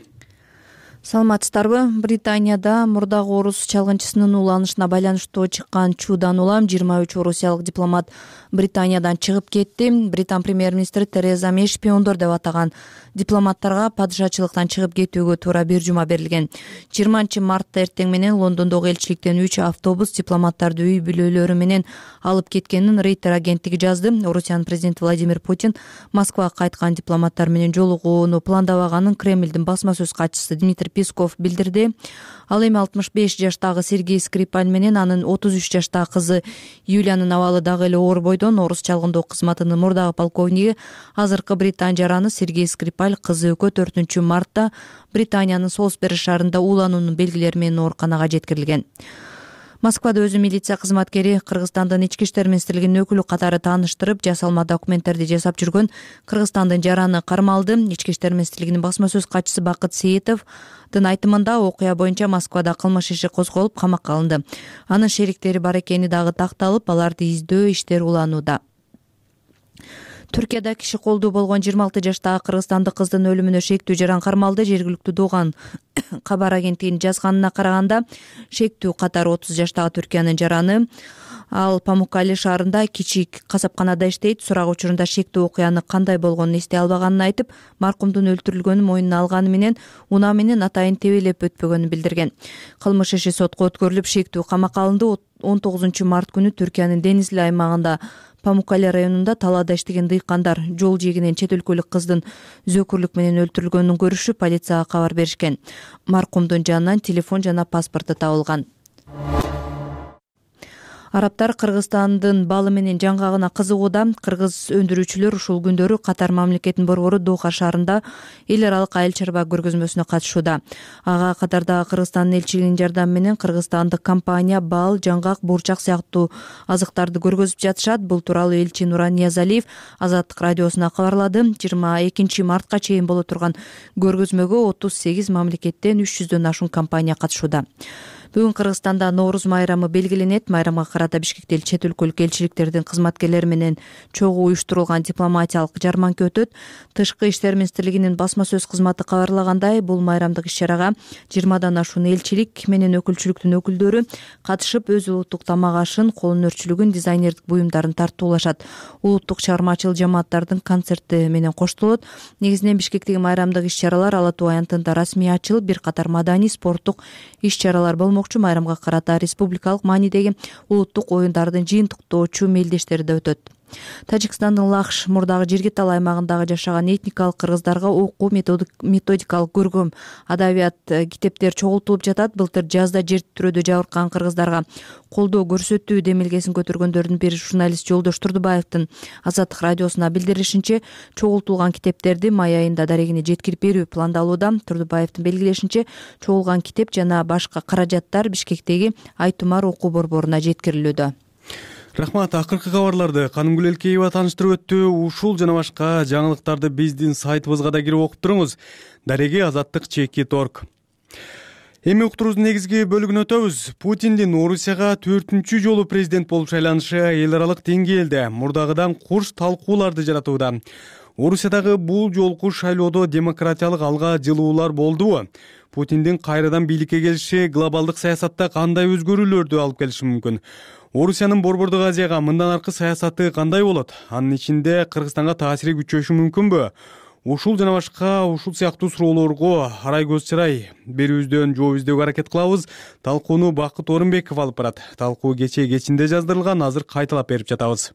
Саламатсыздарбы? Британияда мурдагы орус чалгынчысынын уланышына байланыштуу чыккан чуудан улам жыйырма үч орусиялык дипломат Британиядан чыгып кетти. Британ премьер-министри Тереза Мэй шпиондор деп атаган дипломаттарга падышачылыктан чыгып кетүүгө туура бир жума берилген. жыйырманчы мартта эртең менен Лондондогу элчиликтен үч автобус дипломаттарды үй бүлөлөрү менен алып кеткенин Рейтер агенттиги жазды. Орусиянын президенти Владимир Путин Москвага кайткан дипломаттар менен жолугууну пландабаганын Кремлдин басма сөз катчысы Дмитрий Песков билдирди. Ал эми алтымыш беш жаштагы Сергей Скрипаль менен анын отуз үч жаштагы кызы Юлиянын абалы дагы эле оор бойдон. Орус чалгындоо кызматынын мурдагы полковниги, азыркы Британ жараны Сергей Скрипаль кызы экөө төртүнчү мартта Британиянын Солсбери шаарында уулануунун белгилери менен ооруканага жеткирилген. Москвада өзү милиция кызматкери Кыргызстандын ички иштер министрлигинин өкүлү катары тааныштырып, жасалма документтерди жасап жүргөн Кыргызстандын жараны кармалды. Ички иштер министрлигинин басма сөз катчысы Бакыт Сейитовдун айтымында окуя боюнча Москвада кылмыш иши козголуп, камакка алынды. Анын шериктери бар экени дагы такталып, аларды издөө иштери уланууда. Түркияда киши колдуу болгон жыйырма алты жаштагы кыргызстандык кыздын өлүмүнө шектүү жаран кармалды. Жергиликтүү Доган кабар агенттигинин жазганына караганда, шектүү катары отуз жаштагы Түркиянын жараны. Ал Памуккале шаарында кичик касапканада иштейт. Сурак учурунда шектүү окуяны кандай болгонун эстей албаганын айтып, маркумдун өлтүрүлгөнүн мойнуна алганы менен унаа менен атайын тебелеп өтпөгөнүн билдирген. Кылмыш иши сотко өткөрүлүп, шектүү камакка алынды. он тогузунчу март күнү Түркиянын Денизли аймагында Памуккале районунда талаада иштеген дыйкандар жол жээгинен чет өлкөлүк кыздын зөөкүрлүк менен өлтүрүлгөнүн көрүшүп, полицияга кабар беришкен. Маркумдун жанынан телефон жана паспорту табылган. Арабтар Кыргызстандын балы менен жаңгагына кызыгууда. Кыргыз өндүрүүчүлөр ушул күндөрү Катар мамлекетинин борбору Доха шаарында эл аралык айыл чарба көргөзмөсүнө катышууда. Ага Катардагы Кыргызстандын элчилигинин жардамы менен кыргызстандык компания бал, жаңгак, бурчак сыяктуу азыктарды көргөзүп жатышат. Бул тууралуу элчи Нуран Ниязалиев Азаттык радиосуна кабарлады. жыйырма экинчи мартка чейин боло турган көргөзмөгө отуз сегиз мамлекеттен үч жүздөн ашуун компания катышууда. Бүгүн Кыргызстанда Нооруз майрамы белгиленет. Майрамга карата Бишкекте чет өлкөлүк элчиликтердин кызматкерлери менен чогуу уюштурулган дипломатиялык жарманка өтөт. Тышкы иштер министрлигинин басма сөз кызматы кабарлагандай, бул майрамдык иш-чарага жыйырмадан ашуун элчилик менен өкүлчүлүктүн өкүлдөрү катышып, өз улуттук тамак ашын, кол өнөрчүлүгүн, дизайнердик буюмдарын тартуулашат. Улуттук чыгармачыл жамааттардын концерти менен коштолот. Негизинен Бишкектеги майрамдык иш-чаралар Ала Туу аянтында расмий ачылып, бир катар маданий, спорттук иш-чаралар болмок. Майрамга карата республикалык маанидеги улуттук оюндардын жыйынтыктоочу мелдештери да өтөт. Тажикстандын Лахш мурдагы Жиргитал аймагындагы жашаган этникалык кыргыздарга окуу методикалык көркөм адабият китептер чогултулуп жатат. Былтыр жазда жер тирөөдө жабыркаган кыргыздарга колдоо көрсөтүү демилгесин көтөргөндөрдүн бири журналист Жолдош Турдубаевдин Азаттык радиосуна билдиришинче, чогултулган китептерди май айында дарегине жеткирип берүү пландалууда. Турдубаевдин белгилешинче, чогулган китеп жана башка каражаттар Бишкектеги Айтумар окуу борборуна жеткирилүүдө. Рахмат. Акыркы кабарларды Канымгүл Элкеева тааныштырып өттү. Ушул жана башка жаңылыктарды биздин сайтыбызга да кирип окуп туруңуз. Дареги азаттык чекит орг. Эми уктуруубуздун негизги бөлүгүнө өтөбүз. Путиндин Орусияга төртүнчү жолу президент болуп шайланышы эл аралык деңгээлде мурдагыдан курч талкууларды жаратууда. Орусиядагы бул жолку шайлоодо демократиялык алга жылуулар болдубу? Путиндин кайрадан бийликке келиши глобалдык саясатта кандай өзгөрүүлөрдү алып келиши мүмкүн? Орусиянын Борбордук Азияга мындан аркы саясаты кандай болот? Анын ичинде Кыргызстанга таасири күчөшү мүмкүнбү? Ушул жана башка ушул сыяктуу суроолорго арай көз чырай берүүбүздөн жооп издөөгө аракет кылабыз. Талкууну Бакыт Орунбеков алып барат. Талкуу кечээ кечинде жаздырылган, азыр кайталап берип жатабыз.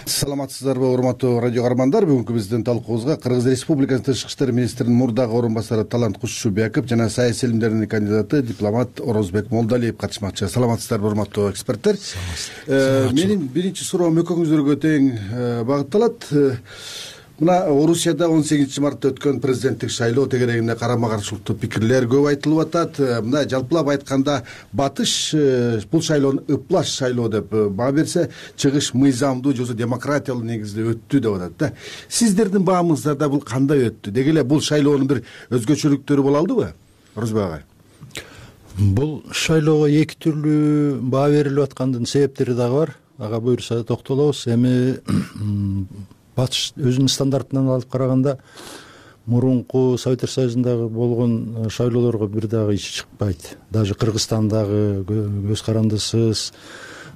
саламатсыздарбы урматтуу радио каармандар. Бүгүнкү биздин талкуубузга Кыргыз Республикасынын тышкы иштер министринин мурдагы орун басары Талант Кушчубеков жана саясий илимдердин кандидаты дипломат Орозбек Молдалиев катышмакчы. Саламатсыздарбы урматтуу эксперттер. Менин биринчи суроом экөөңүздөргө тең багытталат. Мына Орусияда он сегизинчи мартта өткөн президенттик шайлоо тегерегинде карама каршылыктуу пикирлер көп айтылып атат. Мына жалпылап айтканда батыш бул шайлоону ыплаш шайлоо деп баа берсе, чыгыш мыйзамдуу же демократиялуу негизде өттү деп атат да. Сиздердин баамыңыздарда бул кандай өттү? Деги эле бул шайлоонун бир өзгөчөлүктөрү боло алдыбы? Орозбек агай. Бул шайлоого эки түрлүү баа берилип аткандын себептери дагы бар. Ага буюрса токтолобуз. Эми батыш өзүнүн стандартынан алып караганда мурунку Советтер Союзундагы болгон шайлоолорго бир дагы ичи чыкпайт. Даже Кыргызстандагы көз карандысыз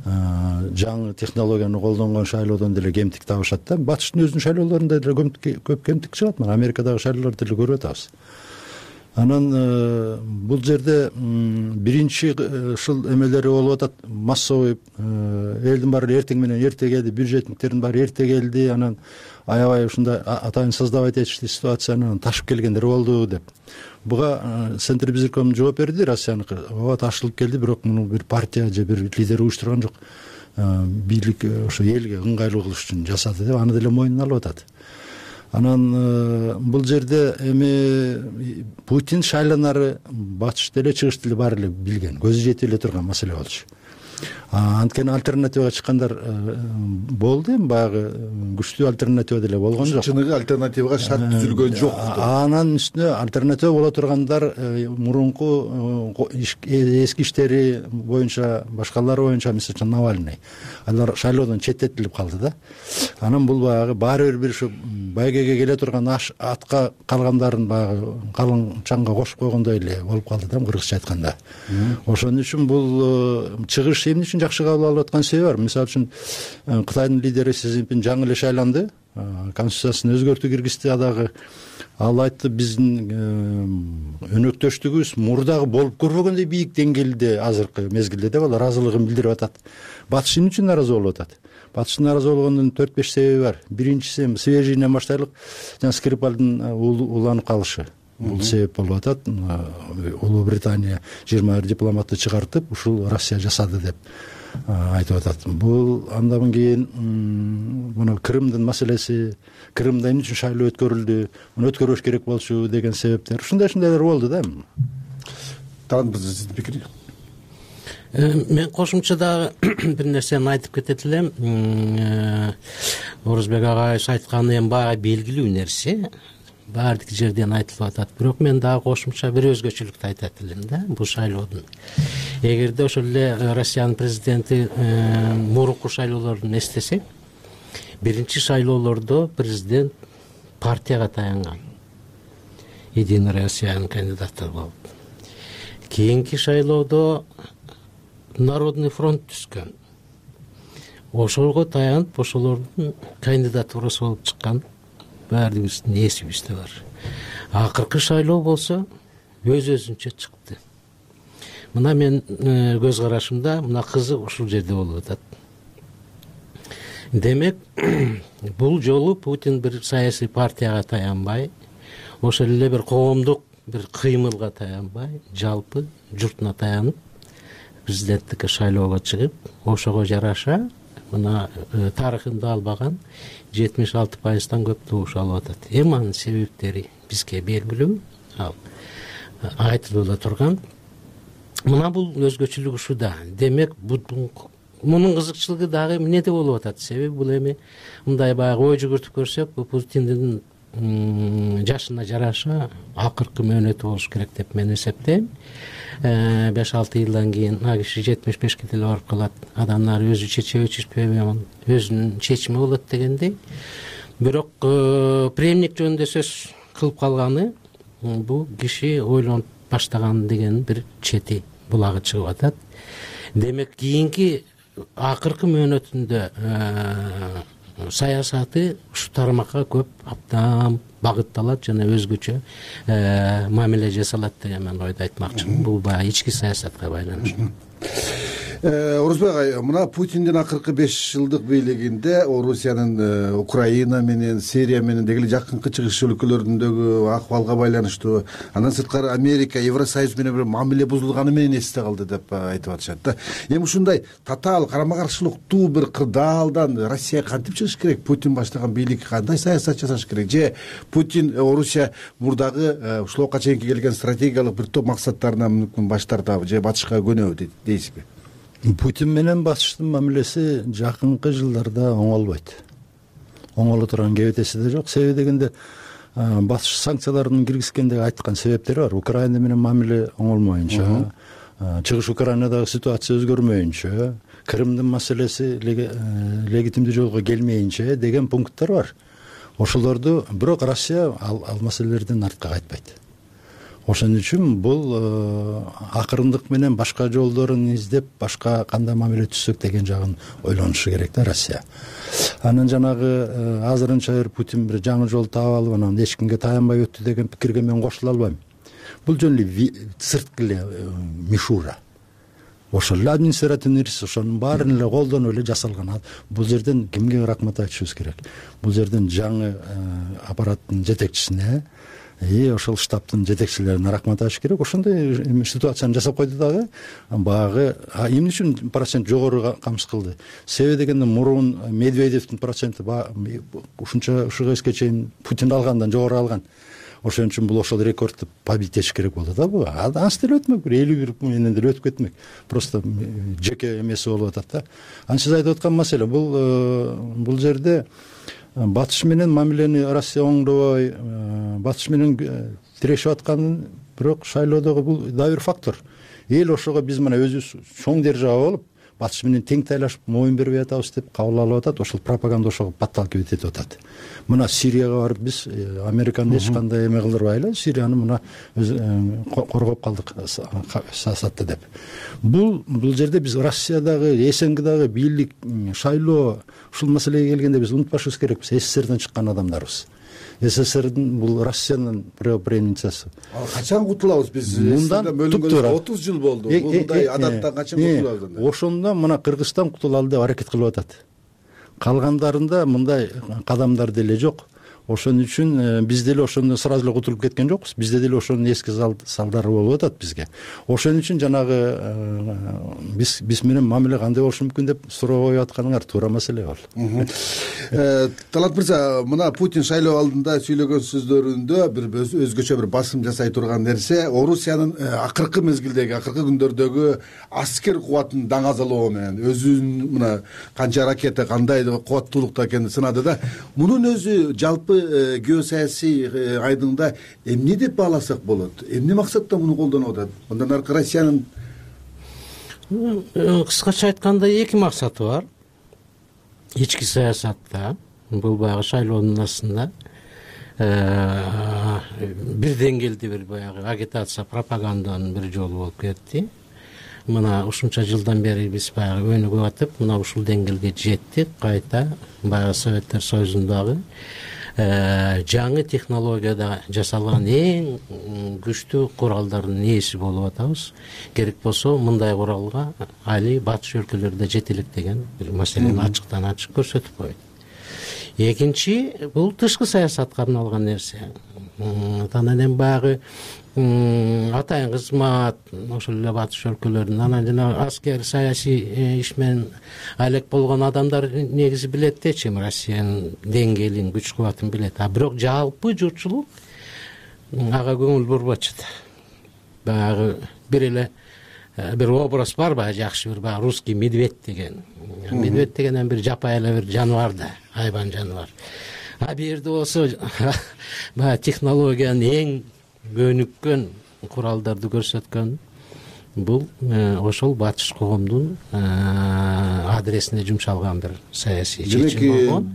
жаңы технологияны колдонгон шайлоодон деле кемтик табышат да. Батыштын өзүнүн шайлоолорунда деле көп кемтик чыгат. Мына Америкадагы шайлоолорду деле көрүп атабыз. Анан бул жерде биринчи ушул эмелери болуп атат. Массовый элдин баары эртең менен эрте келди, бюджетниктердин баары эрте келди. Анан аябай ушундай атайын создавать этиштүү ситуацияны ташып келгендер болду деп. Буга Центр Безирком жооп берди, Россияныкы. Ооба ташылып келди, бирок муну бир партия же бир лидер уюштурган жок. Бийлик ошо элге ыңгайлуу кылыш үчүн жасады деп аны деле мойнуна алып атат. Анан бул жерде эми Путин шайланары батыш деле чыгыш деле баары эле билген, көзү жетип эле турган маселе болчу. Анткени альтернативага чыккандар болду, эми баягы күчтүү альтернатива деле болгон жок. Чыныгы альтернативага шарт түзүлгөн жок. Анан үстүнө альтернатива боло тургандар мурунку эски иштери боюнча, башкалары боюнча, мисалы үчүн Навальный. Алар шайлоодон четтетилип калды да. Анан бул баягы баары бир ушу байгеге келе турган атка калгандарын баягы калың чаңга кошуп койгондой эле болуп калды да, кыргызча айтканда. Ошон үчүн бул чыгыш эмне үчүн жакшы кабыл алып аткан себеби бар. Мисалы үчүн Кытайдын лидери Си Цзиньпин жаңы эле шайланды, конституциясын өзгөртүү киргизди. Адагы ал айтты, биздин өнөктөштүгүбүз мурдагы болуп көрбөгөндөй бийик деңгээлде азыркы мезгилде деп ал ыраазылыгын билдирип атат. Батыш эмне үчүн нааразы болуп атат? Батыштын нааразы болгондун төрт беш себеби бар. Биринчиси свежийинен баштайлык, жана Скрипальдын уланып калышы. Бул себеп болуп атат. Улуу Британия жыйырма бир дипломатты чыгартып, ушул Россия жасады деп айтып атат. Бул андан кийин муну Крымдын маселеси, Крымда эмне үчүн шайлоо өткөрүлдү, муну өткөрбөш керек болчу деген себептер. Ушундай-ушундайлар болду да. Тагын сиздин пикириңиз? Мен кошумча дагы бир нерсени айтып кетет элем. Орозбек агайыбыз айтканы эми баягы белгилүү нерсе. Баардык жерден айтылып атат. Бирок мен дагы кошумча бир өзгөчөлүктү айтат элем да, бул шайлоодун. Эгерде ошол эле Россиянын президенти мурунку шайлоолорун эстесек, биринчи шайлоолордо президент партияга таянган. Единая Россиянын кандидаты болуп. Кийинки шайлоодо Народный фронт түскөн. Ошолго таянып, ошолордун кандидатурасы болуп чыккан. Баардыгыбыздын эсибизде бар. Акыркы шайлоо болсо өз өзүнчө чыкты. Мына мен көз карашымда мына кызык ушул жерде болуп атат. Демек, бул жолу Путин бир саясий партияга таянбай, ошол эле бир коомдук бир кыймылга таянбай, жалпы журтуна таянып, президенттикке шайлоого чыгып, ошого жараша мына тарыхында албаган жетимиш алты пайыздан көп добуш алып атат. Эми анын себептери бизге белгилүү, ал айтылып эле турган. Мына бул өзгөчөлүк ушуда. Демек, мунун кызыкчылыгы дагы эмнеде болуп атат? Себеби бул эми мындай баягы ой жүгүртүп көрсөк, бул Путиндин жашына жараша акыркы мөөнөтү болуш керек деп мен эсептейм. беш алты жылдан кийин а киши жетимиш бешке деле барып калат. Адамдар өзү чечеби чечпеби, өзүнүн чечими болот дегендей. Бирок преемник жөнүндө сөз кылып калганы бул киши ойлонуп баштаган деген бир чети булагы чыгып атат. Демек, кийинки акыркы мөөнөтүндө саясаты ушу тармакка көп абдан багытталат жана өзгөчө мамиле жасалат деген мен ойду айтмакчымын. Бул баягы ички саясатка байланыштуу. Орозбек агай, мына Путиндин акыркы беш жылдык бийлигинде Орусиянын Украина менен, Сирия менен деги эле жакынкы чыгыш өлкөлөрүндөгү акыбалга байланыштуу, андан сырткары Америка, Евросоюз менен бир мамиле бузулганы менен эсте калды деп айтып атышат да. Эми ушундай татаал карама каршылыктуу бир кырдаалдан Россия кантип чыгыш керек? Путин баштаган бийлик кандай саясат жасаш керек? Же Путин Орусия мурдагы ушулга чейинки келген стратегиялык бир топ максаттарынан мүмкүн баш тартабы же батышка көнөбү дейсизби? Путин менен батыштын мамилеси жакынкы жылдарда оңолбойт. Оңоло турган кебетеси да жок. Себеби дегенде батыш санкцияларын киргизгендеги айткан себептери бар. Украина менен мамиле оңолмоюнча, чыгыш Украинадагы ситуация өзгөрмөйүнчө, Крымдын маселеси легитимдүү жолго келмейинче деген пункттар бар. Ошолорду бирок Россия ал, ал маселелерден артка кайтпайт. Ошон үчүн бул акырындык менен башка жолдорун издеп, башка кандай мамиле түзсөк деген жагын ойлонушу керек да Россия. Анан жанагы азырынча бир Путин бир жаңы жол таап алып, анан эч кимге таянбай өттү деген пикирге мен кошула албайм. Бул жөн эле сырткы эле мишура. Ошол эле административный ресурс, ошонун баарын эле колдонуп эле жасалган. Бул жерден кимге рахмат айтышыбыз керек? Бул жерден жаңы аппараттын жетекчисине, и ошол штабтын жетекчилерине рахмат айтыш керек. Ошондой ситуацияны жасап койду дагы. Багы эмне үчүн процент жогору камсыз кылды? Себеби дегенде мурун Медведевдин проценти ушунча ушуга чейин Путин алгандан жогору алган. Ошон үчүн бул ошол рекордду побить этиш керек болду да бу. Ансы деле өтмөк, бир элүү бир менен деле өтүп кетмек. Просто жеке эмеси болуп атат да. Анан сиз айтып аткан маселе бул бул жерде батыш менен мамилени Россия оңдобой, батыш менен тирешип атканын, бирок шайлоодогу бул да бир фактор. Эл ошого биз мына өзүбүз чоң держава болуп, батыш менен тең тайлашып моюн бербей атабыз деп кабыл алып атат. Ошол пропаганда ошого батталып кетип атат. Мына Сирияга барып биз Американы эч кандай эме кылдырбай эле Сирияны мына коргоп калдык саясатты деп. Бул бул жерде биз Россиядагы, СНГдагы бийлик, шайлоо ушул маселеге келгенде биз унутпашыбыз керекпиз. СССРден чыккан адамдарбыз. СССРдин бул Россиянын провинциясы. Ал качан кутулабыз биз? Мындан бөлүнгөнгө отуз жыл болду. Мындай адаттан качан кутулабыз? Ошондо мына Кыргызстан кутулалы деп аракет кылып атат. Калгандарында мындай кадамдар деле жок. Ошон үчүн биз деле ошондо сразу эле кутулуп кеткен жокпуз. Бизде деле ошонун эски салдары болуп атат бизге. Ошон үчүн жанагы биз биз менен мамиле кандай болушу мүмкүн деп суроо коюп атканыңар туура маселе бол. Талант мырза, мына Путин шайлоо алдында сүйлөгөн сөздөрүндө бир өзгөчө бир басым жасай турган нерсе Орусиянын акыркы мезгилдеги, акыркы күндөрдөгү аскер кубатын даңазалоо менен өзүнүн мына канча ракета, кандай кубаттуулукта экенин сынады да. Мунун өзү жалпы геосаясий айдыңда эмне деп бааласак болот? Эмне максатта муну колдонуп атат? Мындан аркы Россиянын кыскача айтканда эки максаты бар. Ички саясатта, бул баягы шайлоонун астында бир деңгээлде бир баягы агитация, пропаганданын бир жолу болуп кетти. Мына ушунча жылдан бери биз баягы өнүгүп атып, мына ушул деңгээлге жеттик. Кайта баягы Советтер Союзундагы жаңы технологияда жасалган эң күчтүү куралдардын ээси болуп атабыз. Керек болсо мындай куралга али батыш өлкөлөрүндө жете элек деген бир маселени ачыктан ачык көрсөтүп койду. Экинчи, бул тышкы саясатка арналган нерсе. Анан эми баягы атайын кызмат ошол эле батыш өлкөлөрүнүн, анан жана аскер саясий иш менен алек болгон адамдар негизи билет дечи, Россиянын деңгээлин, күч кубатын билет. А бирок жалпы журтчулук ага көңүл бурбочу да. Баягы бир эле бир образ бар, баягы жакшы бир баягы русский медведь деген. Медведь деген бир жапайы эле бир жаныбар да, айбан жаныбар. А бул жерде болсо баягы технологиянын эң көнүккөн куралдарды көрсөткөн бул ошол батыш коомдун адресине жумшалган бир саясий чечим болгон.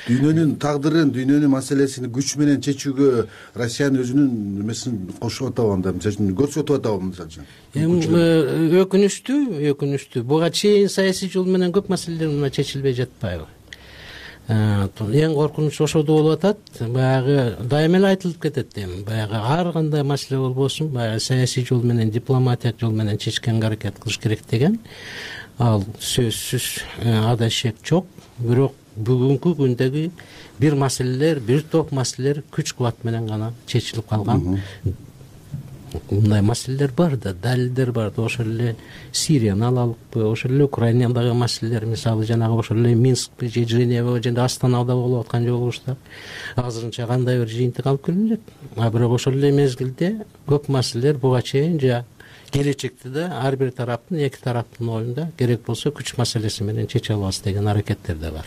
Дүйнөнүн тагдырын, дүйнөнүн маселесин күч менен чечүүгө Россиянын өзүнүн эмесин кошуп атабы анда, мисалы үчүн көрсөтүп атабы мисалы үчүн? Эми өкүнүчтүү, өкүнүчтүү. Буга чейин саясий жол менен көп маселелер мына чечилбей жатпайбы? Эң коркунучу ошодо болуп атат. Баягы дайыма эле айтылып кетет эми. Баягы ар кандай маселе болбосун, баягы саясий жол менен, дипломатиялык жол менен чечкенге аракет кылыш керек деген. ал сөзсүз ада шек жок. Бирок бүгүнкү күндөгү бир маселелер, бир топ маселелер күч кубат менен гана чечилип калган. Мындай маселелер бар да, далилдер бар да. Ошол эле Сирияны алалыкпы, ошол эле Украинадагы маселелер, мисалы жанагы ошол эле Минскпи же Женева же Астанада болуп аткан жолугушта азырынча кандай бир жыйынтык алып келинет. А бирок ошол эле мезгилде көп маселелер буга чейин жа келечекте да ар бир тараптын, эки тараптын оюнда керек болсо күч маселеси менен чече алабыз деген аракеттер да бар.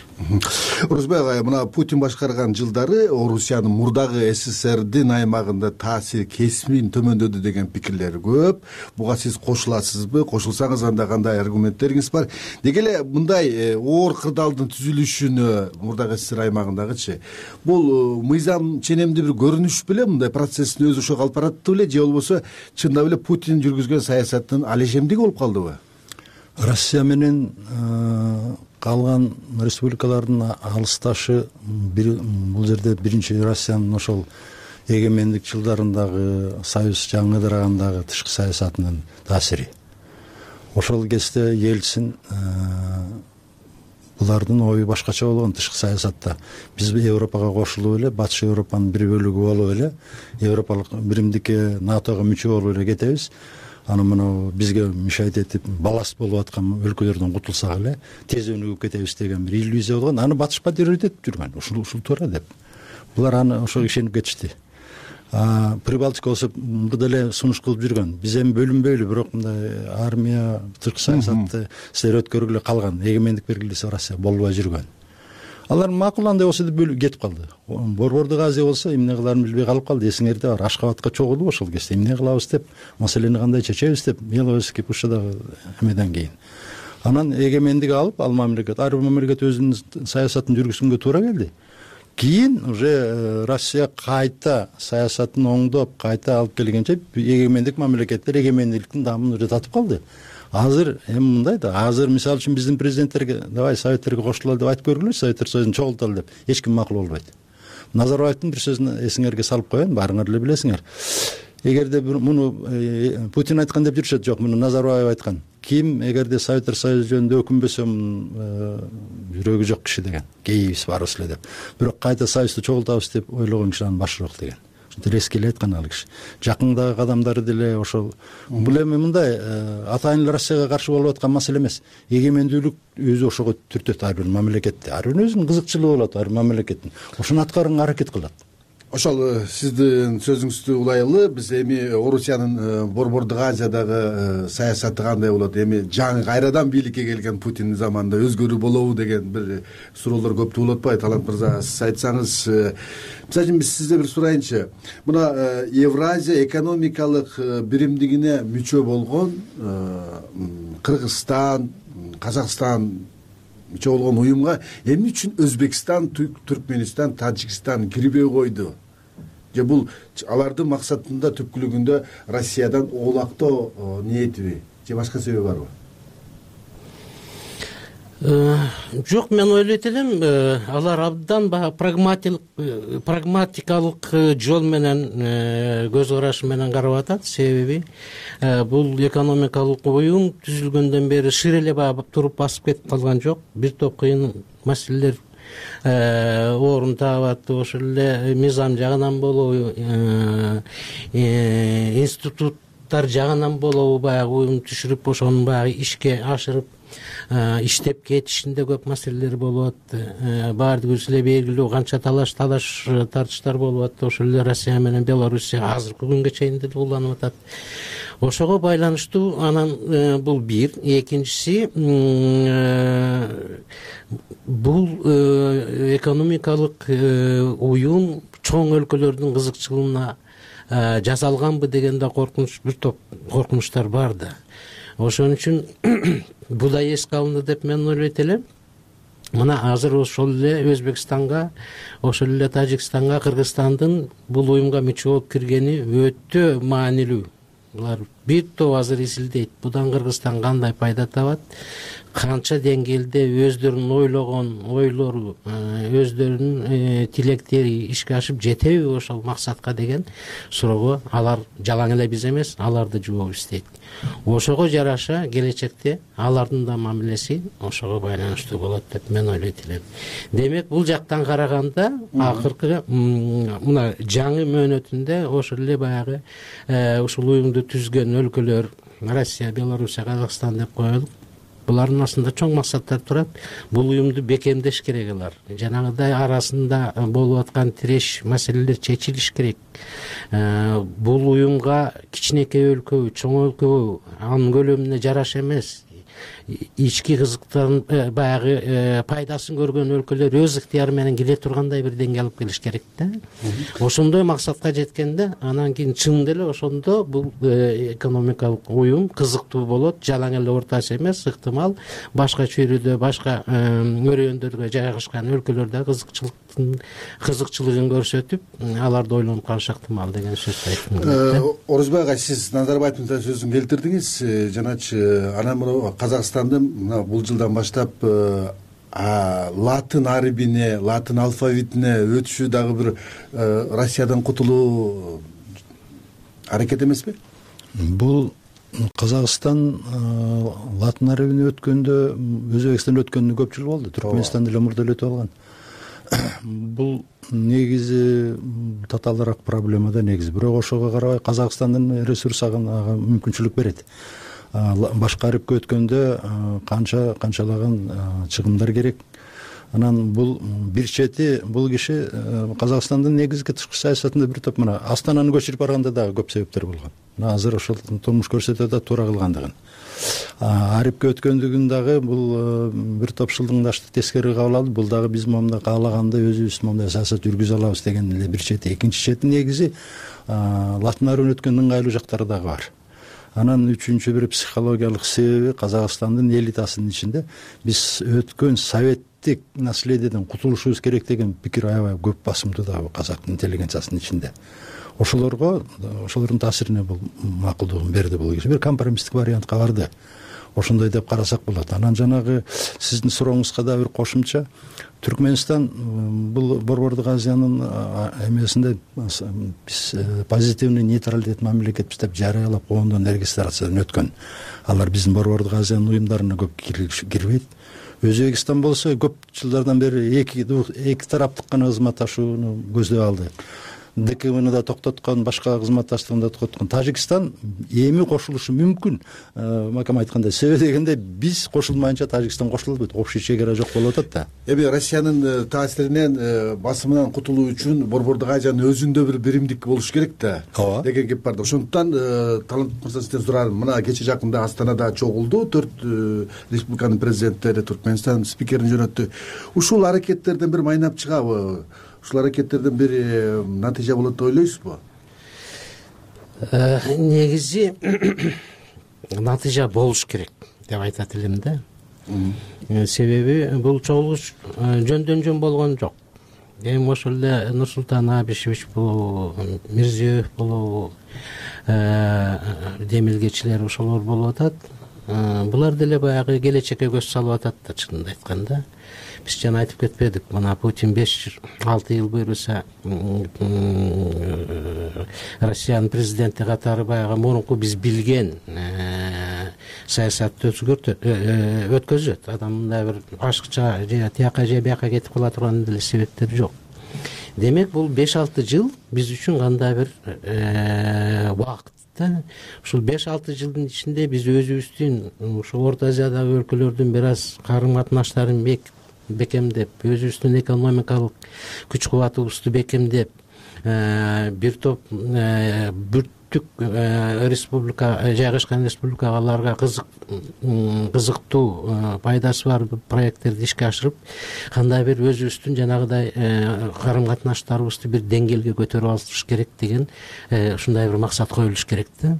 Орозбек агай, мына Путин башкарган жылдары Орусиянын мурдагы СССРдин аймагында таасири кесимин төмөндөдү деген пикирлер көп. Буга сиз кошуласызбы? Кошулсаңыз анда кандай аргументтериңиз бар? Деги эле мындай оор кырдаалдын түзүлүшүнө мурдагы СССР аймагындагычы бул мыйзам ченемдүү бир көрүнүш беле мындай процесстин өзү ошого алып баратты беле же болбосо чындап эле Путин жүргүзгөн саясаттын алешемдиги болуп калдыбы? Россия менен калган республикалардын алысташы бул жерде биринчи Россиянын ошол эгемендик жылдарындагы союз жаңыдыргандагы тышкы саясатынын таасири. Ошол кезде Ельцин булардын ою башкача болгон тышкы саясатта. Биз Европага кошулуп эле, Батыш Европанын бир бөлүгү болуп эле, Европалык биримдикке НАТОго мүчө болуп эле кетебиз. Аны мына бизге мешайт этип баласт болуп аткан өлкөлөрдөн кутулсак эле тез өнүгүп кетебиз деген бир иллюзия болгон. Аны Батыш поддерживать этип жүргөн. Ушул ушул туура деп. Булар аны ошого ишенип кетишти. А Прибалтика болсо мурда эле сунуш кылып жүргөн. Биз эми бөлүнбөйлү, бирок мындай армия, тышкы саясатты силер өткөргүлө калган, эгемендик бергиле десе Россия болбой жүргөн. Алар макул андай болсо деп бөлүп кетип калды. Борбордук Азия болсо эмне кыларын билбей калып калды. Эсиңерде бар, Ашкабатка чогулуп ошол кезде эмне кылабыз деп, маселени кандай чечебиз деп, Миловский Пушадагы эмеден кийин. Анан эгемендик алып, ал мамлекет, ар бир мамлекет өзүнүн саясатын жүргүзгөнгө туура келди. Кийин уже Россия кайта саясатын оңдоп, кайта алып келгенче эгемендик мамлекеттер эгемендиктин дамын уже татып калды. Азыр эми мындай да, азыр мисалы үчүн биздин президенттерге давай советтерге кошулалы деп айтып көргүлө, Советтер Союзун чогулталы деп эч ким макул болбойт. Назарбаевдин бир сөзүн эсиңерге салып коеюн, баарыңар эле билесиңер. Эгерде муну Путин айткан деп жүрүшөт, жок, муну Назарбаев айткан. Ким эгерде Советтер Союзу жөнүндө өкүнбөсө жүрөгү жок киши деген. Кейбиз барыбыз эле деп. Бирок кайта союзду чогултабыз деп ойлогон киши анын башырак деген. Резко эле айткан ал киши. Жакындагы кадамдары деле ошол. Бул эми мындай атайын эле Россияга каршы болуп аткан маселе эмес. Эгемендүүлүк өзү ошого түртөт ар бир мамлекетте. Ар бир өзүнүн кызыкчылыгы болот ар бир мамлекеттин. Ошону аткарганга аракет кылат. Ошол сиздин сөзүңүздү улайлы, биз эми Орусиянын Борбордук Азиядагы саясаты кандай болот, эми жаңы кайрадан бийликке келген Путин заманында өзгөрүү болобу деген бир суроолор көп туулуп атпайбы? Талант мырза, сиз айтсаңыз, мисалы үчүн биз сизден бир сурайынчы. Мына Евразия экономикалык биримдигине мүчө болгон Кыргызстан, Казакстан мүчө болгон уюмга эмне үчүн Өзбекстан, Түркмөнстан, Тажикстан кирбей койду? Же бул алардын максатында түпкүлүгүндө Россиядан оолактоо ниетиби же башка себеби барбы? Жок, мен ойлойт элем, алар абдан прагматикалык жол менен, көз карашы менен карап атат. Себеби бул экономикалык уюм түзүлгөндөн бери шир эле туруп басып кетип калган жок. Бир топ кыйын маселелер орун табат. Ошол эле мыйзам жагынан болобу, институттар жагынан болобу, баягы уюм түшүрүп, ошону баягы ишке ашырып иштеп кетишинде көп маселелер болуп атты. Баардыгыбыз эле белгилүү канча талаш талаш тартыштар болуп атты. Ошол эле Россия менен Белоруссия азыркы күнгө чейин деле уланып атат. Ошого байланыштуу анан бул бир, экинчиси бул экономикалык уюм чоң өлкөлөрдүн кызыкчылыгына жасалганбы деген да коркунуч, бир топ коркунучтар бар да. Ошон үчүн бул да эске алынды деп мен ойлойт элем. Мына азыр ошол эле Өзбекстанга, ошол эле Тажикстанга, Кыргызстандын бул уюмга мүчө болуп киргени өтө маанилүү. Булар бир топ азыр изилдейт. Будан Кыргызстан кандай пайда табат, канча деңгээлде өздөрүнүн ойлогон ойлору, өздөрүнүн тилектери ишке ашып жетеби ошол максатка деген суроого алар жалаң эле биз эмес, алар да жооп издейт. Ошого жараша келечекте алардын да мамилеси ошого байланыштуу болот деп мен ойлойт элем. Демек, бул жактан караганда акыркы мына жаңы мөөнөтүндө ошол эле баягы ушул уюмду түзгөн өлкөлөр Россия, Белоруссия, Казакстан деп коелук. Булардын астында чоң максаттар турат. Бул уюмду бекемдеш керек алар. Жанагыдай арасында болуп аткан тиреш маселелер чечилиш керек. Бул уюмга кичинекей өлкөбү, чоң өлкөбү анын көлөмүнө жараша эмес. Ички кызыктан баягы пайдасын көргөн өлкөлөр өз ыктыяры менен келе тургандай бир деңгээлге алып келиш керек да. Ошондой максатка жеткенде, анан кийин чын деле ошондо бул экономикалык уюм кызыктуу болот, жалаң эле ортасы эмес, ыктымал башка чөйрөдө, башка өрөөндөргө жайгашкан өлкөлөрдө кызыкчылыктын кызыкчылыгын көрсөтүп, аларды ойлонуп калышы ыктымал деген сөздү айттым. Орозбек ага, сиз Назарбаевдин сөзүн келтирдиңиз. Жаначы анан Казакстандын мына бул жылдан баштап латын арибине, латын алфавитине өтүшү дагы бир Россиядан кутулуу аракет эмеспи? Бул Казакстан латын арибине өткөндө, Өзбекстан өткөндө көп жыл болду. Түркмөнстан деле мурда эле өтүп алган. Бул негизи татаалыраак проблема да негизи. Бирок ошого карабай Казакстандын ресурс ага мүмкүнчүлүк берет. Башка арипке өткөндө канча канчалаган чыгымдар керек. Анан бул бир чети, бул киши Казакстандын негизги тышкы саясатында бир топ мына Астананы көчүрүп барганда дагы көп себептер болгон. Азыр ошол турмуш көрсөтөт да туура кылгандыгын. Арипке өткөндүгүн дагы бул бир топ шылдыңдашты тескери кабыл алды. Бул дагы биз момундай каалагандай өзүбүз момундай саясат жүргүзө алабыз деген эле бир чети. Экинчи чети негизи латын арибине өткөндүн ыңгайлуу жактары дагы бар. Анан үчүнчү бир психологиялык себеби Казакстандын элитасынын ичинде биз өткөн советтик наследиеден кутулушубуз керек деген пикир аябай көп басымдуу дагы казак интеллигенциясынын ичинде. Ошолорго, ошолордун таасирине бул макулдугун берди бул киши. Бир компромисстик вариантка барды. Ошондой деп карасак болот. Анан жанагы сиздин сурооңузга да бир кошумча, Түркмөнстан бул Борбордук Азиянын эмесинде биз позитивный нейтралитет мамлекетпиз деп жарыялап коомдун регистрациядан өткөн. Алар биздин Борбордук Азиянын уюмдарына көп кирбейт. Өзбекстан болсо көп жылдардан бери эки эки тараптык гана кызматташууну көздөп алды. ДКМны да токтоткон, башка кызматташтыгын да токтоткон. Тажикстан эми кошулушу мүмкүн. Макам айткандай, себеби дегенде биз кошулмайынча Тажикстан кошулбойт. Общий чегара жок болуп атат да. Эми Россиянын таасиринен, басымынан кутулуу үчүн Борбордук Азиянын өзүндө бир биримдик болуш керек да деген кеп бар да. Ошондуктан Талант мырза сизден сурарым. Мына кече жакында Астанада чогулду, төрт республиканын президенттери Түркмөнстан спикерин жөнөттү. Ушул аракеттерден бир майнап чыгабы? Ушул аракеттерден бир натыйжа болот деп ойлойсузбу? Негизи натыйжа болуш керек деп айтат элем да. Себеби бул чогулуш жөндөн жөн болгон жок. Эми ошол эле Нурсултан Абишевич болобу, Мирзиёев болобу, демилгечилер ошолор болуп атат. Булар деле баягы келечекке көз салып атат да, чынын айтканда. Биз жана айтып кетпедик, мына Путин беш алты жыл буйруса Россиянын президенти катары баягы мурунку биз билген саясатты өткөзөт. Адам мындай бир ашыкча же тияка же бияка кетип кала турган деле себептер жок. Демек, бул беш алты жыл биз үчүн кандай бир убакыт. Ушул беш алты жылдын ичинде биз өзүбүздүн ушу Орто Азиядагы өлкөлөрдүн бир аз карым катнаштарын бекемдеп, өзүбүздүн экономикалык күч кубатыбызды бекемдеп, бир топ бүттүк республика, жайгашкан республикаларга кызыктуу пайдасы бар проекттерди ишке ашырып, кандай бир өзүбүздүн жанагыдай карым катнаштарыбызды бир деңгээлге көтөрүп алыш керек деген ушундай бир максат коюлуш керек да.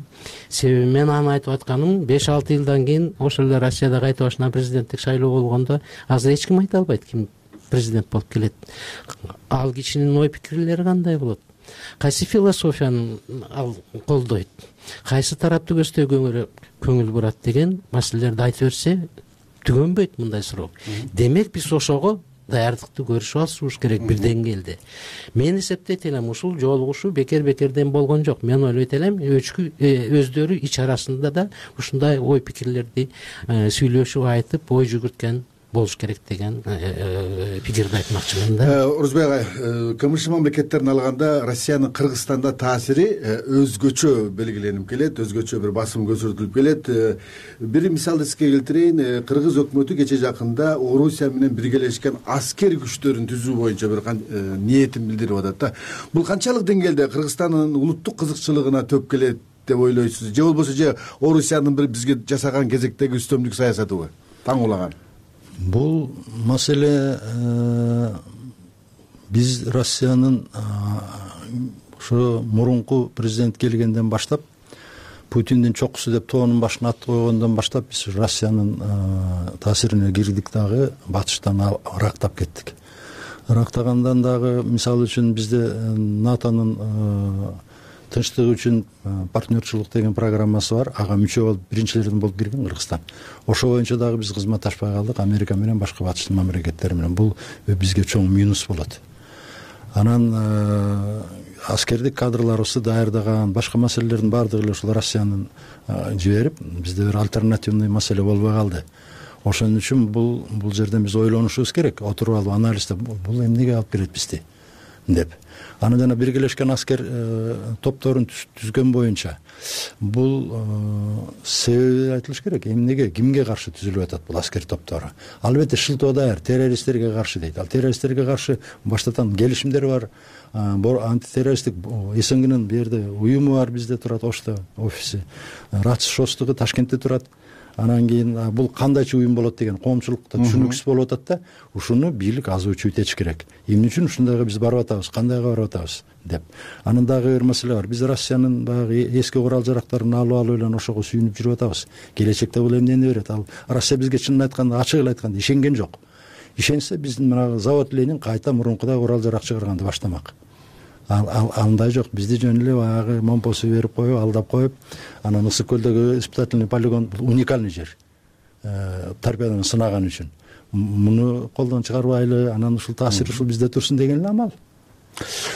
Себеби мен аны айтып атканым, беш алты жылдан кийин ошол эле Россияда кайта башынан президенттик шайлоо болгондо азыр эч ким айта албайт ким президент болуп келет. Ал кишинин ой пикирлери кандай болот? Кайсы философияны ал колдойт, кайсы тарапты көздөй көңүл бурат деген маселелерди айтып берсе, түгөнбөйт мындай срок. Демек биз ошого даярдыкты көрүшүп алышыбыз керек бир деңгээлде. Мен эсептейт элем ушул жолугушуу бекер бекерден болгон жок. Мен ойлойт элем өздөрү ич арасында да ушундай ой пикирлерди сүйлөшүп айтып ой жүгүрткөн болуш керек деген пикирди айтмакчымын да. Орозбек агай, КМШ мамлекеттерин алганда Россиянын Кыргызстанда таасири өзгөчө белгиленип келет, өзгөчө бир басым көрсөтүлүп келет. Бир мисал эске келтирейин, Кыргыз өкмөтү кече жакында Орусия менен биргелешкен аскер күчтөрүн түзүү боюнча бир ниетин билдирип атат да. Бул канчалык деңгээлде Кыргызстандын улуттук кызыкчылыгына төп келет деп ойлойсуз? Же болбосо же Орусиянын бир бизге жасаган кезектеги үстөмдүк саясатыбы таң улаган? Бул маселе биз Россиянын ошо мурунку президент келгенден баштап, Путиндин чокусу деп тоонун башына ат койгондон баштап биз Россиянын таасирине кирдик дагы, батыштан ырактап кеттик. Ырактагандан дагы мисалы үчүн бизде НАТОнун тынчтык үчүн партнерчилик деген программасы бар. Ага мүчө болуп биринчилерден болуп кирген Кыргызстан. Ошо боюнча дагы биз кызматташпай калдык Америка менен, башка батыштын мамлекеттери менен. Бул бизге чоң минус болот. Анан аскердик кадрларыбызды даярдаган, башка маселелердин баардыгы эле ушул Россиянын жиберип, бизде бир альтернативный маселе болбой калды. Ошон үчүн бул бул жерден биз ойлонушубуз керек. Отуруп алып анализдеп, бул эмнеге алып келет бизди деп. Аны жана биргелешкен аскер топторун түзгөн боюнча бул себеби айтылыш керек. Эмнеге, кимге каршы түзүлүп атат бул аскер топтору? Албетте шылтоо даяр, террористтерге каршы дейт. Ал террористтерге каршы баштатан келишимдер бар. Антитеррористтик СНГнын бул жерде уюму бар, бизде турат Ошто офиси. РАЦ шостугу Ташкентте турат. Анан кийин бул кандайча уюм болот деген коомчулукта түшүнүксүз болуп атат да, ушуну бийлик азуучу этиш керек. Эмне үчүн ушундайга биз барып атабыз, кандайга барып атабыз деп. Анан дагы бир маселе бар. Биз Россиянын баягы эски курал жарактарын алып алып эле ошого сүйүнүп жүрүп атабыз. Келечекте бул эмнени берет? Ал Россия бизге чынын айтканда, ачык эле айтканда ишенген жок. Ишенсе биздин мына завод Ленин кайта мурункудай курал жарак чыгарганды баштамак. Ал андай жок. Бизди жөн эле баягы момпосу берип коюп, алдап коюп, анан Ысык көлдөгү испытательный полигон уникальный жер. Торпедону сынаган үчүн. Муну колдон чыгарбайлы, анан ушул таасир ушул бизде турсун деген эле амал.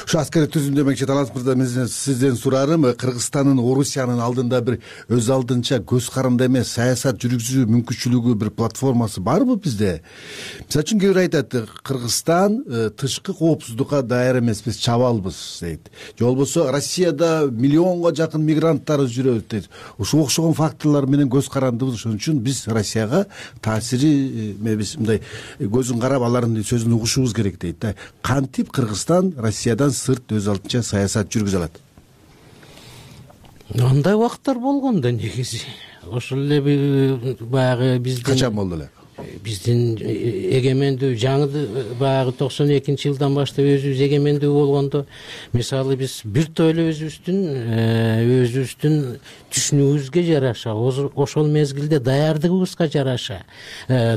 Ушу аскерди түзүмдө демекчи Талант мырза, мен сизден сурарым, Кыргызстандын Орусиянын алдында бир өз алдынча көз каранды эмес саясат жүргүзүү мүмкүнчүлүгү, бир платформасы барбы бизде? Мисалы үчүн кээ бир айтат, Кыргызстан тышкы коопсуздукка даяр эмес, биз чабалбыз дейт. Же болбосо Россияда миллионго жакын мигранттар жүрөт дейт. Ушуга окшогон факторлор менен көз карандыбыз, ошон үчүн биз Россияга таасири биз мындай көзүн карап алардын сөзүн угушубуз керек дейт да. Кантип Кыргызстан Россиядан сырт өз алдынча саясат жүргүзө алат? Андай убакыттар болгон да негизи. Ошол эле баягы биздин качан болду эле? Биздин эгемендүү жаңы баягы токсон экинчи жылдан баштап өзүбүз эгемендүү болгондо, мисалы биз бир топ эле өзүбүздүн өзүбүздүн түшүнүгүбүзгө жараша, ошол мезгилде даярдыгыбызга жараша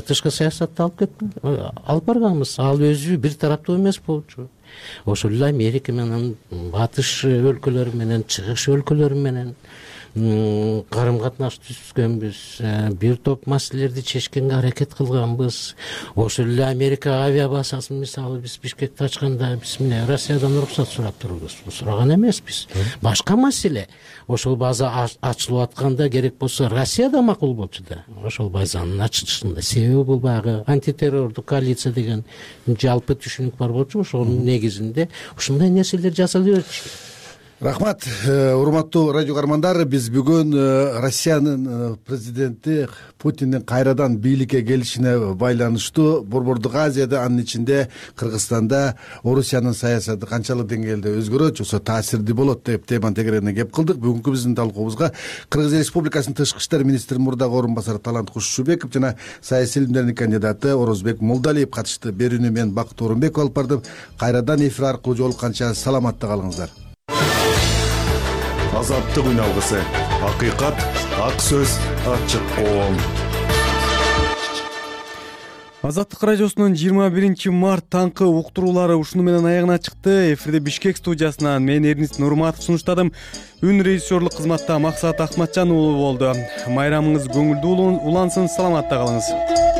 тышкы саясатты алып алып барганбыз. Ал өзү бир тараптуу эмес болчу. Ошол эле Америка менен, батыш өлкөлөрү менен, чыгыш өлкөлөрү менен карым катнаш түзгөнбүз. Бир топ маселелерди чечкенге аракет кылганбыз. Ошол эле Америка авиабазасын мисалы биз Бишкекте ачканда биз мына Россиядан уруксат сурап турбуз. Сураган эмеспиз. Башка маселе. Ошол база ачылып атканда керек болсо Россияда макул болчу да. Ошол базанын ачылышында. Себеби бул баягы антитеррордук коалиция деген жалпы түшүнүк бар болчу. Ошонун негизинде ушундай нерселер жасала берчү. Рахмат, урматтуу радио каармандар, биз бүгүн Россиянын президенти Путиндин кайрадан бийликке келишине байланыштуу Борбордук Азияда, анын ичинде Кыргызстанда Орусиянын саясаты канчалык деңгээлде өзгөрөт, жоксо таасирди болот деп теманын тегерерине кеп кылдык. Бүгүнкү биздин талкуубузга Кыргыз Республикасынын тышкы иштер министринин мурдагы орун басары Талант Кушчубеков жана саясий илимдердин кандидаты Орозбек Молдалиев катышты. Берүүнү мен Бакыт Орунбеков алып бардым. Кайрадан эфир аркылуу жолукканча саламатта калыңыздар. Азаттык үн алгысы, акыйкат, ак сөз, ачык коом. Азаттык радиосунун жыйырма биринчи март таңкы уктуруулары ушуну менен аягына чыкты. Эфирде Бишкек студиясынан мен Эрнис Нурматов сунуштадым. Үн режиссерлук кызматта Максат Акматжан уулу болду. Майрамыңыз көңүлдүү улансын, саламатта калыңыз.